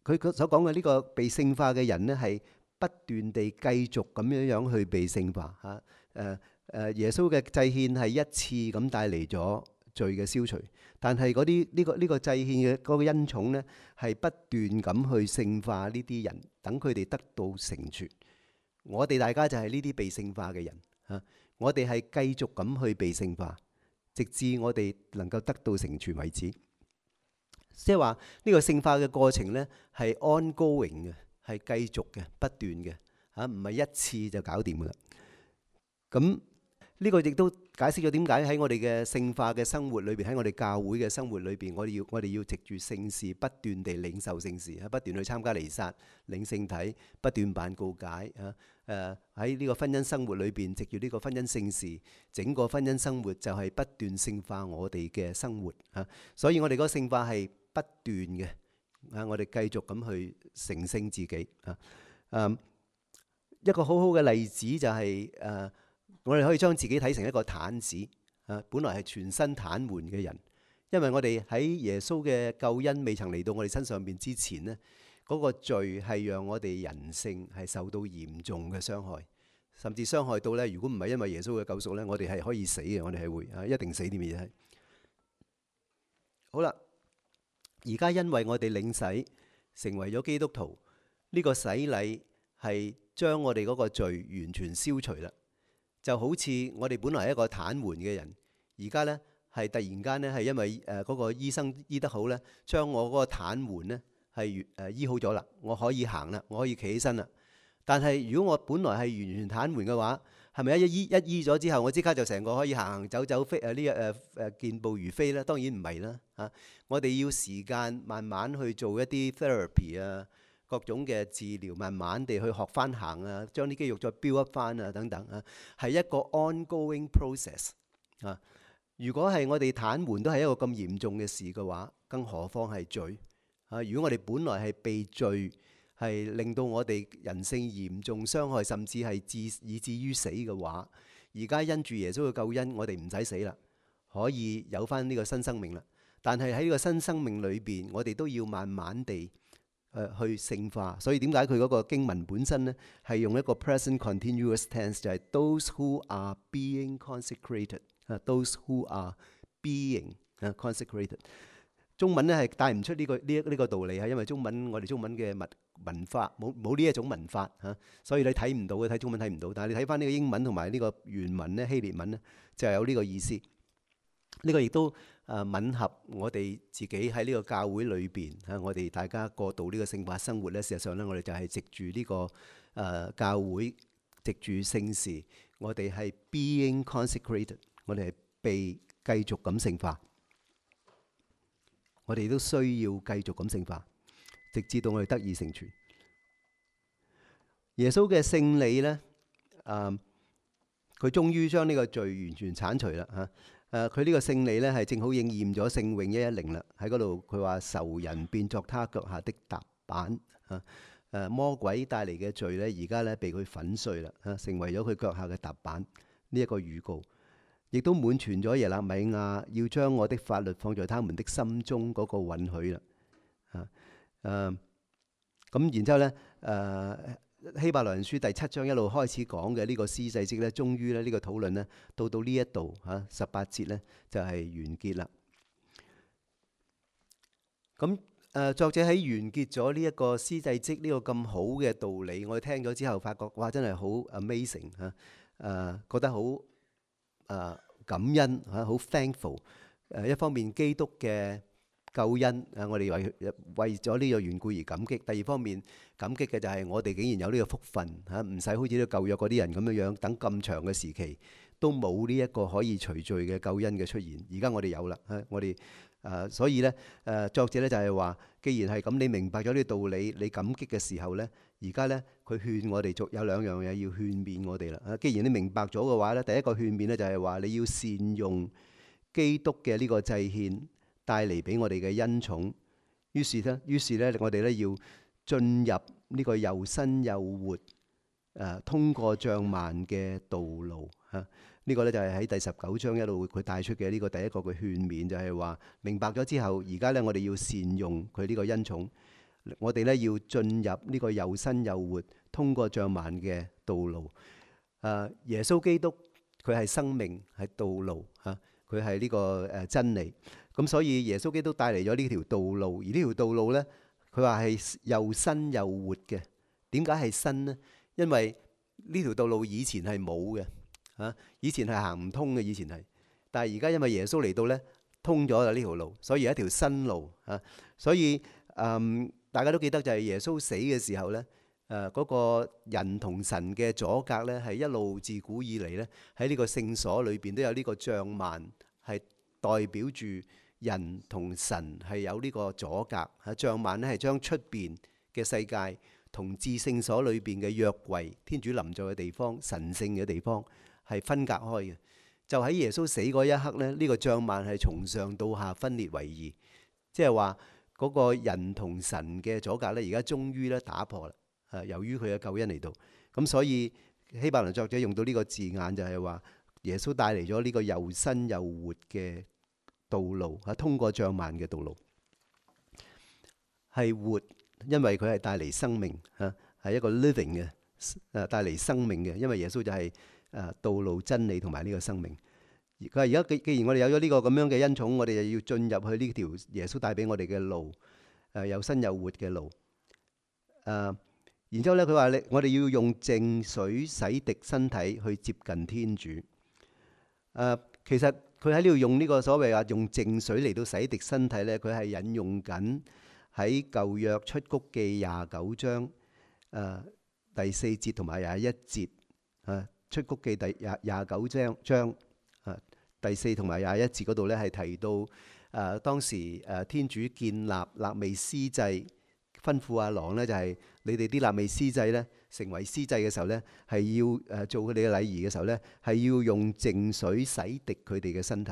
佢所講嘅呢個被聖化嘅人呢，係不斷地繼續咁樣去被聖化嚇。耶穌嘅祭獻係一次咁帶嚟咗罪嘅消除，但係嗰啲呢個祭獻嘅嗰個恩寵呢，係不斷咁去聖化呢啲人，等佢哋得到成全。我哋大家就係呢啲被聖化嘅人嚇，我哋係繼續咁去被聖化，直至我哋能夠得到成全為止。即係話呢個聖化嘅過程呢，係 ongoing 嘅，係繼續嘅、不斷嘅嚇，唔係一次就搞掂噶啦。咁呢個亦都解釋咗點解喺我哋嘅聖化嘅生活裏邊，喺我哋教會嘅生活裏邊，我哋要藉住聖事不斷地領受聖事，不斷去參加彌撒、領聖體，不斷辦告解啊。喺呢個婚姻生活裏邊，藉住呢個婚姻聖事，整個婚姻生活就係不斷聖化我哋嘅生活啊。所以我哋嗰個聖化係不斷嘅啊，我哋繼續咁去成聖自己啊。一個好好嘅例子就係我哋可以將自己睇成一個癱子啊，本來係全身癱瘓嘅人，因為我哋喺耶穌嘅救恩未曾嚟到我哋身上邊之前呢，嗰個罪係讓我哋人性係受到嚴重嘅傷害，甚至傷害到呢，如果唔係因為耶穌嘅救贖呢，我哋係可以死嘅，我哋係會一定死啲嘢係。好啦，而家因為我哋領洗成為咗基督徒，呢個洗禮係將我哋嗰個罪完全消除啦。就好似我哋本來係一個癱瘓嘅人，而家呢係突然間呢係因為嗰個醫生醫得好呢，將我嗰個癱瘓呢係醫好咗啦，我可以行啦，我可以企起身啦。但係如果我本來係完全癱瘓嘅話，係咪一醫咗之後，我即刻就成個可以行行走走飛健步如飛呢？當然唔係啦嚇，我哋要時間慢慢去做一啲 therapy 啊。各種嘅治療，慢慢地去學翻行啊，將啲肌肉再 build up 翻啊，等等啊，係一個 ongoing process 啊。如果係我哋癱瘓都係一個咁嚴重嘅事嘅話，更何況係罪啊？如果我哋本來係被罪係令到我哋人性嚴重傷害，甚至係以至於死嘅話，而家因住耶穌嘅救恩，我哋唔使死啦，可以有翻呢個新生命啦。但係喺呢個新生命裏邊，我哋都要慢慢地去聖化，所以點解佢嗰個經文本身呢係用一個 present continuous tense， 就係 those who are being consecrated，those who are being consecrated。中文咧係帶唔出呢個道理，係因為我哋中文嘅文化冇呢一種文化嚇，所以你睇唔到嘅，睇中文睇唔到。但係你睇翻呢個英文同埋呢個原文咧，希臘文咧就有呢個意思。呢個亦都吻合我哋自己喺呢個教會裏邊嚇，我哋大家過渡呢個聖化生活咧。事實上咧，我哋就係藉住呢個教會，藉住聖事，我哋係 being consecrated， 我哋係被繼續咁聖化。我哋都需要繼續咁聖化，直至到我哋得以成全。耶穌嘅聖禮咧，佢終於將呢個罪完全剷除啦嚇。佢呢個聖禮咧係正好應驗咗聖詠110啦。喺嗰度佢話仇人變作他腳下的踏板嚇。魔鬼帶嚟嘅罪咧，而家咧被佢粉碎啦嚇，成為咗佢腳下嘅踏板。呢一個預告，亦都滿全咗耶肋米亞要將我的法律放在他們的心中嗰個允許啦。咁然之後咧，希伯來人書第7章一路開始講嘅呢個司祭職咧，終於咧呢個討論咧到呢一度嚇18節咧就係完結啦。咁作者喺完結咗呢一個司祭職呢個咁好嘅道理，我哋聽咗之後發覺哇，真係好 amazing 嚇，覺得好感恩嚇，好 thankful。一方面基督嘅救恩我哋為咗呢個緣故而感激；第二方面感激嘅就係我哋竟然有呢個福分嚇，唔使好似呢個舊約嗰啲人咁樣樣等咁長嘅時期都冇呢一個可以除罪嘅救恩嘅出現。而家我哋有啦，我哋所以咧作者咧就係話，既然係咁，你明白咗呢個道理，你感激嘅時候咧，而家咧佢勸我哋有兩樣嘢要勸勉我哋啦。既然你明白咗嘅話咧，第一個勸勉咧就係話你要善用基督嘅呢個祭獻帶嚟俾我哋嘅恩寵。於是咧，我哋咧要進入呢個又新又活通過帳幔嘅道路嚇。呢個咧就係喺第19章一路佢帶出嘅呢個第一個嘅勸勉，就係話明白咗之後，而家咧我哋要善用佢呢個恩寵，我哋咧要進入呢個又新又活通過帳幔嘅道路。耶穌基督佢係生命，係道路嚇，佢係呢個真理。咁所以耶穌基督帶嚟咗呢條道路，而呢條道路咧，佢話係又新又活嘅。點解係新呢？因為呢條道路以前係冇嘅。以前係行唔通嘅，以前係，但係而家因為耶穌嚟到咧，通咗啦呢條路，所以係一條新路嚇。所以大家都記得就係耶穌死嘅時候咧，嗰個人同神嘅阻隔咧，係一路自古以嚟咧喺呢個聖所裏邊都有呢個帳幔，係代表住人同神係有呢個阻隔嚇。帳幔咧係將出邊嘅世界同至聖所裏邊嘅約櫃、天主臨在嘅地方、神聖嘅地方係分隔開嘅。就喺耶穌死嗰一刻咧，呢個帳幔係從上到下分裂為二，即係話嗰個人同神嘅阻隔咧，而家終於咧打破啦。由於佢嘅救恩嚟到，咁所以希伯來作者用到呢個字眼，就係話耶穌帶嚟咗呢個又新又活嘅道路，通過帳幔嘅道路係活，因為佢係帶嚟生命係一個 living 嘅帶嚟生命嘅，因為耶穌就係道路、真理同埋呢個生命。佢話而家既然我哋有咗呢個咁樣嘅恩寵，我哋就要進入去呢條耶穌帶俾我哋嘅路，又新又活嘅路。然之後咧，佢話我哋要用淨水洗滌身體去接近天主。其實佢喺呢度用呢個所謂話用淨水嚟到洗滌身體咧，佢係引用緊喺舊約出谷記29章第4節同埋21節。出谷記第29章第4同埋21節嗰度咧，係提到當時天主建立肋未司祭，吩咐阿郎咧就係你哋啲肋未司祭咧成為司祭嘅時候咧，係要做佢哋嘅禮儀嘅時候咧，係要用淨水洗滌佢哋嘅身體。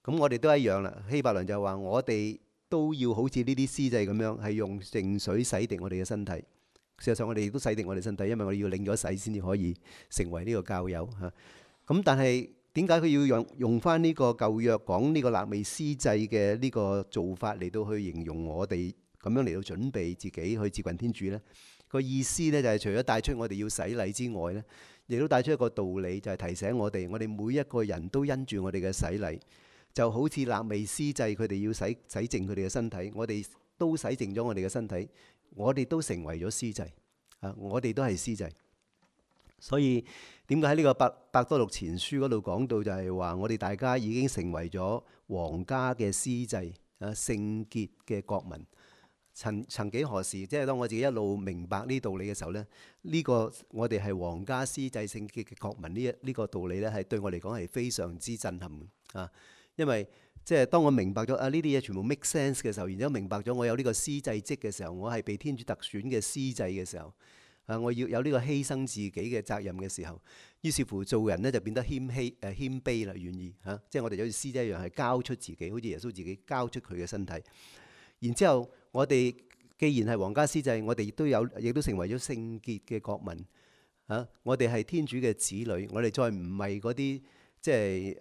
咁我哋都一樣啦。希伯來就話我哋都要好似呢啲司祭咁樣，係用淨水洗滌我哋嘅身體。事實上我哋亦都洗滌我哋身體，因為我哋要領咗洗先至可以成為呢個教友嚇。咁但係點解佢要用翻呢個舊約講呢個肋未司祭嘅呢個做法嚟到去形容我哋咁樣嚟到準備自己去接近天主呢？個意思呢就係除咗帶出我哋要洗禮之外呢，亦都帶出一個道理，就係提醒我哋每一個人都因住我哋嘅洗禮，就好似肋未司祭佢哋要洗淨佢哋嘅身體，我哋都洗淨咗我哋嘅身體，我哋都成為咗司祭啊！我哋都係司祭。所以點解喺呢個伯多祿前書嗰度講到就係話，我哋大家已經成為咗皇家嘅司祭啊，聖潔嘅國民。曾幾何時，即係當我自己一路明白呢道理嘅時候咧，呢個我哋係皇家司祭聖潔嘅國民呢個道理咧，係對我嚟講係非常之震撼啊！因為即係當我明白咗呢啲嘢全部 make sense 嘅時候，然之後明白咗我有呢個司祭職嘅時候，我係被天主特選嘅司祭嘅時候，我要有呢個犧牲自己嘅責任嘅時候，於是乎做人咧就變得謙卑啦，願意嚇，即係我哋好似司祭一樣係交出自己，好似耶穌自己交出佢嘅身體。然之後，我哋既然係皇家司祭，我哋亦都成為咗聖潔嘅國民啊！我哋係天主嘅子女，我哋再唔係嗰啲即係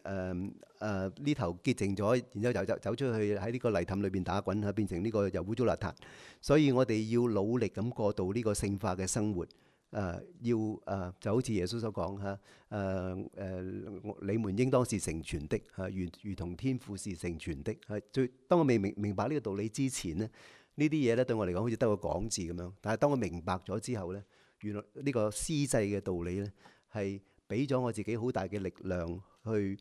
呢頭潔淨咗，然之後就走出去喺呢個泥凼裏邊打滾嚇，變成呢個又污糟邋遢。所以我哋要努力咁過渡呢個聖化嘅生活。就好似耶穌所講嚇，你們應當是成全的嚇，如同天父是成全的。當我未明白呢個道理之前咧，呢啲嘢咧對我嚟講好似得個講字咁樣。但係當我明白咗之後咧，原來呢個司祭嘅道理咧係俾咗我自己好大嘅力量，去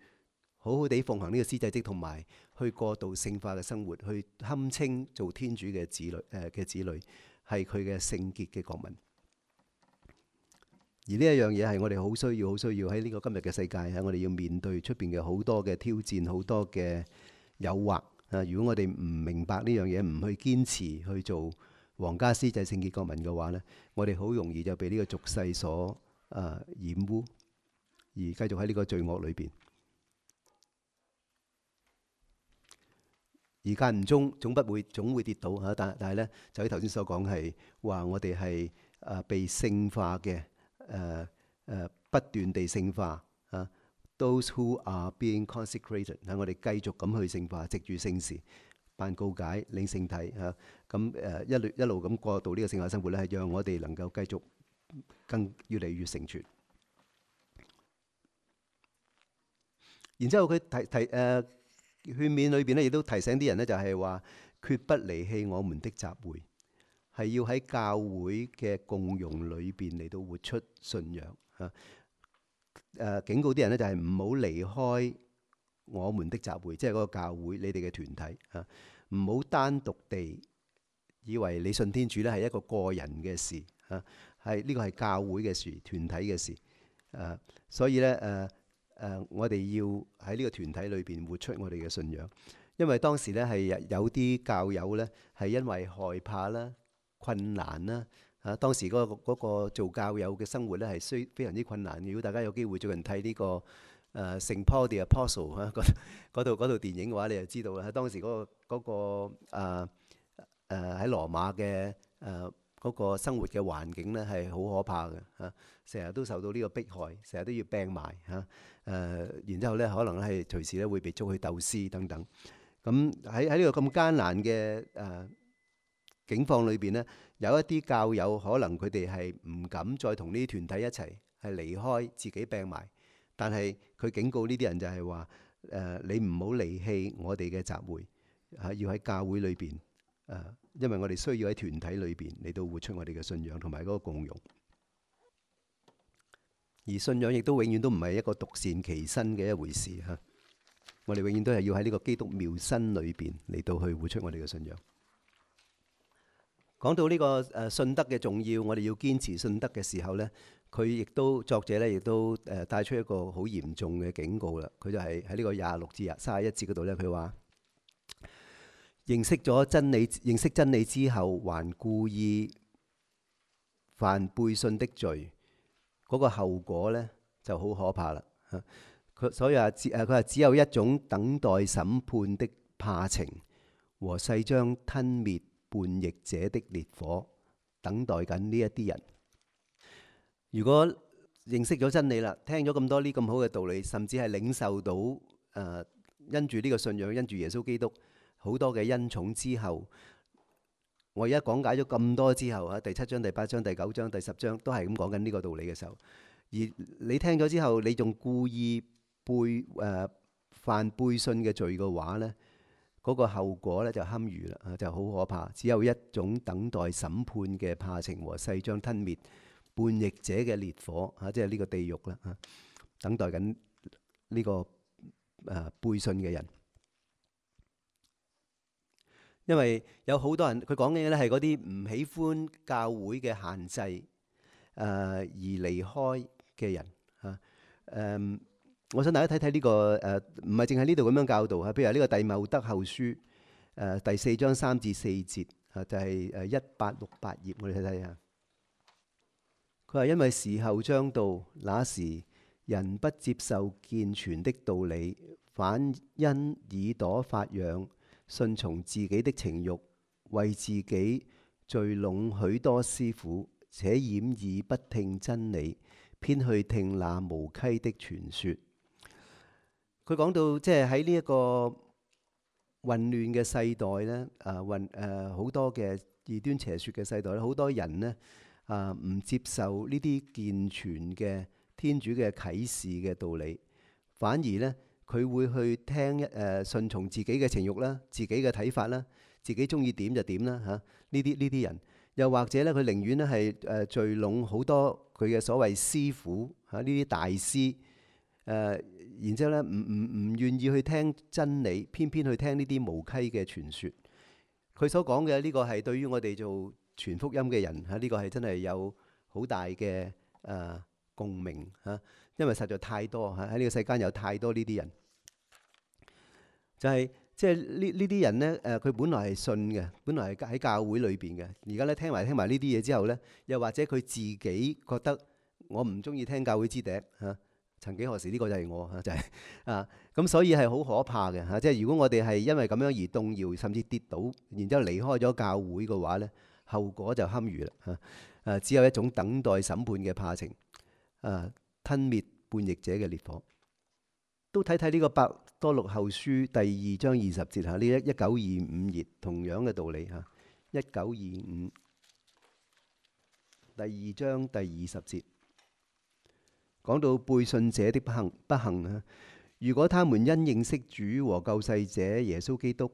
好好地奉行呢個司祭職，同埋去過渡聖化嘅生活，去堪稱做天主嘅子女係佢嘅聖潔嘅國民。而呢一樣嘢係我哋好需要喺呢個今日嘅世界嚇，我哋要面對出邊嘅好多嘅挑戰，好多嘅誘惑啊！如果我哋唔明白呢樣嘢，唔去堅持去做皇家司祭聖潔國民嘅話呢，我哋好容易就被呢個俗世所染污，而繼續喺呢個罪惡裏邊。而間唔中總會跌倒嚇，但係呢，就喺頭先所講係話我哋係被聖化嘅。不斷地聖化啊 ，those who are being consecrated 我哋繼續咁去聖化，藉住聖事辦告解、領聖體嚇，咁一路咁過渡呢個聖化生活咧，係讓我哋能夠繼續越嚟越成全。然之後佢勸勉裏邊咧，亦都提醒啲人咧，就係話決不離棄我們的集會。係要喺教會嘅共融裏邊嚟到活出信仰嚇。警告啲人咧，就係唔好離開我們的集會，即係嗰個教會，你哋嘅團體嚇。唔好單獨地以為你信天主咧係一個個人嘅事嚇，呢個係教會嘅事、團體嘅事。所以咧我哋要喺呢個團體裏邊活出我哋嘅信仰。因為當時咧係有啲教友咧係因為害怕啦、困難啦嚇，當時嗰個做教友嘅生活咧係非常之困難。如果大家有機會最近睇呢個聖 Paul the Apostle 嚇嗰套電影嘅話，你就知道啦。當時嗰個喺羅馬嘅嗰個生活嘅環境咧係好可怕嘅嚇，成日都受到呢個迫害，成日都要病埋嚇。然之後咧可能係隨時咧會被捉去鬥屍等等。咁喺呢個咁艱難嘅境況裏邊呢，有一啲教友可能佢哋係唔敢再同呢啲團體一齊係離開，自己病埋。但係佢警告呢啲人就係話：你唔好離棄我哋嘅集會要喺教會裏邊因為我哋需要喺團體裏邊嚟到活出我哋嘅信仰同埋嗰個共融。而信仰亦都永遠都唔係一個獨善其身嘅一回事嚇。我哋永遠都係要喺呢個基督妙身裏邊嚟到去活出我哋嘅信仰。講到呢個信德嘅重要，我哋要堅持信德嘅時候呢，作者咧亦都帶出一個好嚴重嘅警告啦。佢就係喺呢個26至31節嗰度呢，佢話認識真理之後，還故意犯背信的罪，嗰個後果呢就好可怕啦。所以佢話只有一種等待審判的怕情和誓將吞滅叛逆者的烈火，等待緊呢一啲人。如果認識咗真理啦，聽咗咁多呢咁好嘅道理，甚至係領受到因住呢個信仰，因住耶穌基督好多嘅恩寵之後，我而家講解咗咁多之後第7章、第8章、第9章、第10章都係咁講緊呢個道理嘅時候，而你聽咗之後，你仲故意犯背信嘅罪嘅話呢，嗰個後果咧就堪虞啦，就好可怕。只有一種等待審判嘅怕情和勢將吞滅叛逆者嘅烈火，即係呢個地獄啦，等待緊呢個背信嘅人。因為有好多人，佢講嘅咧係嗰啲唔喜歡教會嘅限制而離開嘅人嚇。我想大家睇睇呢個唔係淨係呢度咁樣教導嚇，譬如呢個弟茂德後書第4章3至4節就係1868頁，我哋睇睇下。佢話：因為時候將到，那時人不接受健全的道理，反因耳朵發癢，順從自己的情慾，為自己聚攏許多師傅，且掩耳不聽真理，偏去聽那無稽的傳說。佢講到即係喺呢一個混亂嘅世代呢，好多嘅異端邪說嘅世代咧，好多人呢唔接受呢啲健全嘅天主嘅啟示嘅道理，反而呢，佢會去聽順從自己嘅情慾啦，自己嘅睇法啦，自己中意點就點啦嚇。呢啲人，又或者呢，佢寧願呢係聚攏好多佢嘅所謂師傅嚇，呢啲大師然之後咧，唔願意去聽真理，偏偏去聽呢啲無稽嘅傳說。佢所講嘅呢個係對於我哋做傳福音嘅人嚇，呢個係真係有好大嘅共鳴嚇，因為實在太多嚇，喺呢個世間有太多呢啲人，就係即係呢啲人呢，佢本來係信嘅，本來係喺教會裏邊嘅，而家咧聽埋呢啲嘢之後呢，又或者佢自己覺得我唔中意聽教會之笛嚇。曾幾何時呢個就係我就係咁，所以係好可怕嘅嚇。即係如果我哋係因為咁樣而動搖，甚至跌倒，然之後離開咗教會嘅話呢，後果就堪虞啦。只有一種等待審判嘅怕情，吞滅叛逆者嘅烈火。都睇睇呢個伯多祿後書第2章20節嚇，呢1925頁同樣嘅道理嚇。1925第2章第20節。講到背信者的不幸啊！如果他們因認識主和救世者耶穌基督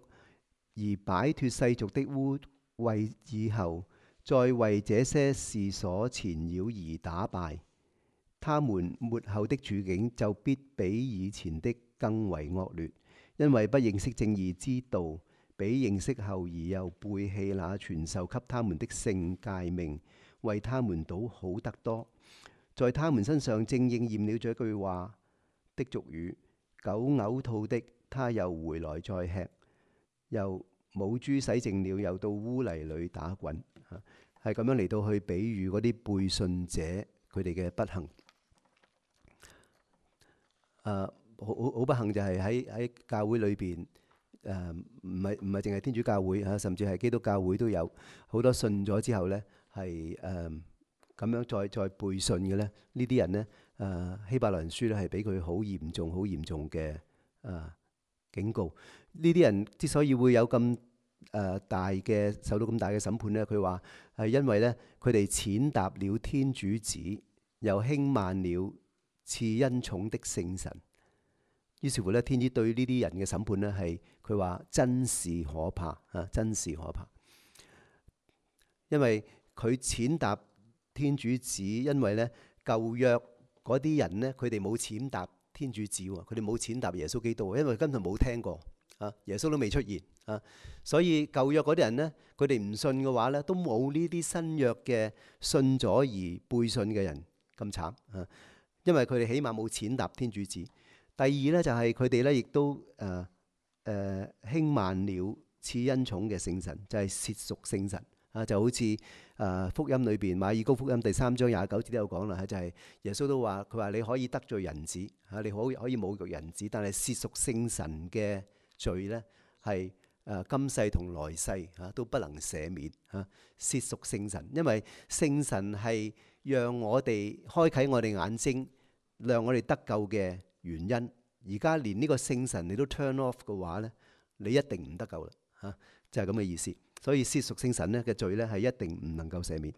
而擺脫世俗的污穢以後，再為這些事所纏繞而打敗，他們末後的處境就必比以前的更為惡劣，因為不認識正義之道，比認識後而又背棄那傳授給他們的聖誡命，為他們倒好得多。在他們身上正應驗了這句話的俗語：狗嘔吐的，他又回來再吃；又母豬洗淨了，又到污泥裏打滾。係咁樣嚟到去比喻嗰啲背信者佢哋嘅不幸。好不幸就係喺教會裏邊，唔係淨係天主教會嚇，甚至係基督教會都有好多信咗之後呢，係咁樣再背信嘅咧，呢啲人呢，希伯來人書咧係俾佢好嚴重嘅警告。呢啲人之所以會有咁受到咁大嘅審判呢，佢話係因為呢，佢哋踐踏了天主子，又輕慢了賜恩寵的聖神。於是乎呢，天主對呢啲人嘅審判呢，係佢話真是可怕啊！真是可怕，因為佢踐踏天主子，因為咧舊約嗰啲人呢，佢哋冇踐踏天主子喎，佢哋冇踐踏耶穌基督，因為根本冇聽過耶穌都未出現所以舊約嗰啲人呢，佢哋唔信嘅話呢，都冇呢啲新約嘅信咗而背信嘅人咁慘因為佢哋起碼冇踐踏天主子。第二呢，就係佢哋呢，亦都輕慢了賜恩寵嘅聖神，就係褻瀆聖神。就好似福音裏邊馬爾谷福音第3章29節都有講啦，就係耶穌都話，佢話你可以得罪人子你可以侮辱人子，但係褻瀆聖神嘅罪呢，係今世同來世都不能赦免褻瀆聖神，因為聖神係讓我哋開啟我哋眼睛，讓我哋得救嘅原因。而家連呢個聖神你都 turn off 嘅話呢，你一定唔得救啦就係咁嘅意思。所以褻瀆聖神咧嘅罪咧係一定唔能夠赦免。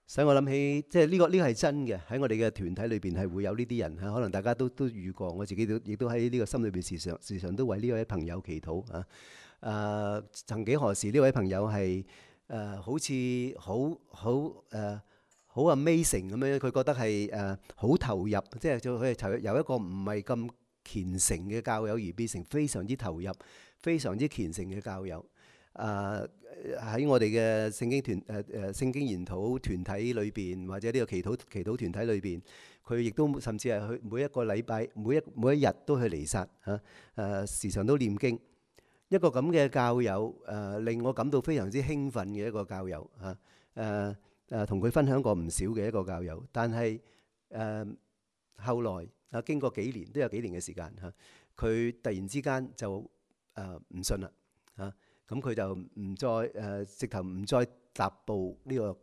使我諗起，即係呢個係真嘅，喺我哋嘅團體裏邊係會有呢啲人嚇，可能大家都遇過，我自己亦都喺呢個心裏邊時常都為呢位朋友祈禱啊。曾幾何時呢位朋友係好似好 amazing 咁樣，佢覺得係好投入，即係佢係投入由一個唔係咁虔誠嘅教友而變成非常之投入、非常之虔誠嘅教友。喺我哋嘅聖經研討團體裏邊，或者呢個祈禱團體裏邊，佢亦都甚至係去每一個禮拜、每一日都去彌撒嚇，時常都念經。一個咁嘅教友令我感到非常之興奮嘅一個教友嚇，同佢分享過唔少嘅一個教友。但係後來經過幾年，都有幾年嘅時間嚇，佢突然之間就唔信啦嚇。咁佢就唔再直頭唔再踏步呢個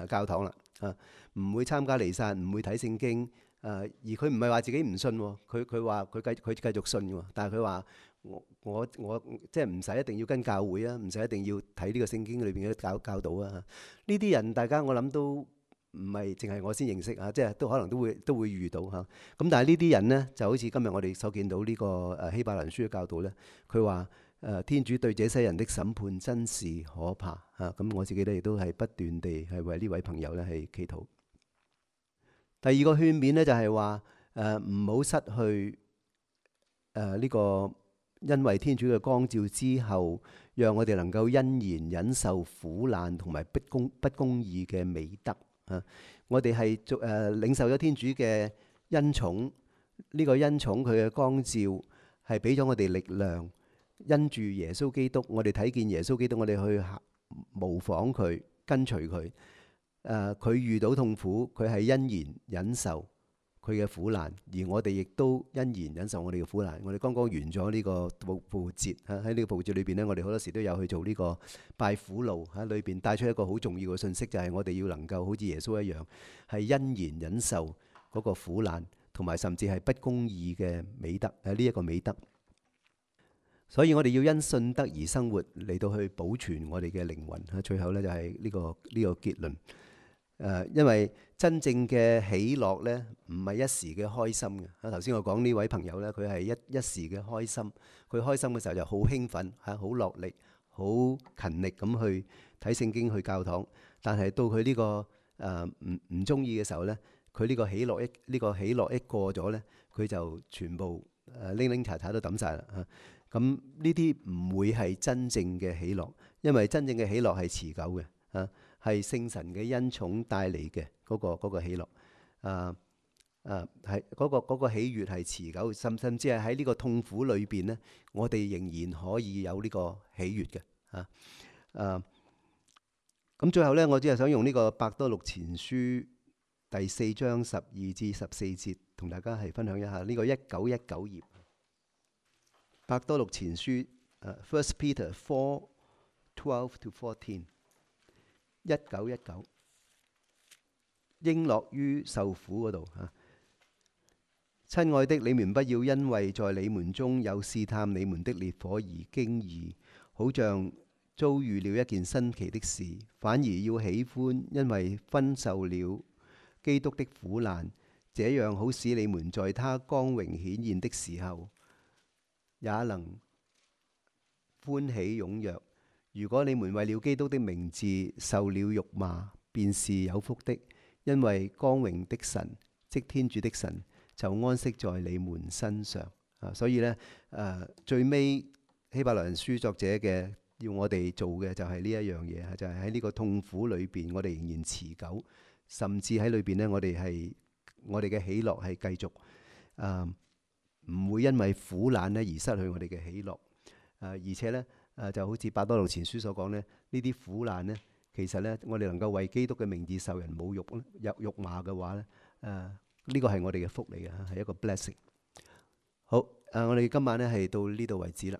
教堂啦啊！唔會參加彌撒，唔會睇聖經而佢唔係話自己唔信喎，佢話佢繼續信喎。但係佢話我即係唔使一定要跟教會啊，唔使一定要睇呢個聖經裏邊嘅教導啊。呢啲人大家我諗都唔係淨係我先認識啊，即係都可能都會遇到嚇。咁但係呢啲人呢，就好似今日我哋所見到呢個希伯來書嘅教導呢，佢話天主對這些人的審判真是可怕嚇。咁我自己咧亦都係不斷地係為呢位朋友咧係祈禱。第二個勸勉呢，就係話唔好失去呢個因為天主嘅光照之後，讓我哋能夠欣然忍受苦難同埋不公義嘅美德啊！我哋係領受咗天主嘅恩寵，呢個恩寵佢嘅光照係俾咗我哋力量。因住耶穌基督，我哋睇見耶穌基督，我哋去模仿佢，跟隨佢。佢遇到痛苦，佢係欣然忍受佢嘅苦難，而我哋亦都欣然忍受我哋嘅苦難。我哋剛剛完咗呢個復活節喺呢個復活節裏邊呢，我哋好多時都有去做呢個拜苦路喺裏邊，帶出一個好重要嘅信息，就係我哋要能夠好似耶穌一樣，係欣然忍受嗰個苦難，同埋甚至係不公義嘅美德呢一個美德。所以我哋要因信德而生活，嚟到去保存我哋嘅靈魂。最後呢，就係呢個結論。因為真正嘅喜樂呢，唔係一時嘅開心嘅。頭先我講呢位朋友呢，佢係一時嘅開心。佢開心嘅時候就好興奮，好落力，好勤力咁去睇聖經、去教堂。但係到佢呢個唔中意嘅時候呢，佢呢個喜樂一過咗呢，佢就全部拎拎查查都抌晒啦。咁呢啲唔會係真正嘅喜樂，因為真正嘅喜樂係持久嘅，係聖神嘅恩寵帶嚟嘅嗰個喜樂，係嗰個喜悅係持久，甚至係喺呢個痛苦裏邊呢，我哋仍然可以有呢個喜悅嘅。咁最後呢，我只係想用呢個伯多祿前書第4章12至14節，同大家係分享一下呢個1919頁。伯多祿前書，First Peter 4:12-14，1919，應樂於受苦嗰度嚇。親愛的，你們不要因為在你們中有試探你們的烈火而驚異，好像遭遇了一件新奇的事，反而要喜歡，因為分受了基督的苦難，這樣好使你們在他光榮顯現的時候，也能歡喜踴躍。如果你們為了基督的名字受了辱罵，便是有福的，因為光榮的神，即天主的神，就安息在你們身上。所以呢，最尾希伯來人書作者嘅要我哋做嘅就係呢一樣嘢，就係喺呢個痛苦裏邊，我哋仍然持久，甚至喺裏邊呢，我哋嘅喜樂係繼續唔會因為苦難咧而失去我哋嘅喜樂。而且呢，就好似伯多祿前書所講呢，呢啲苦難呢，其實呢，我哋能夠為基督嘅名字受人侮辱、辱罵嘅話呢，呢個係我哋嘅福嚟嘅，係一個 blessing。好，我哋今晚呢係到呢度為止啦。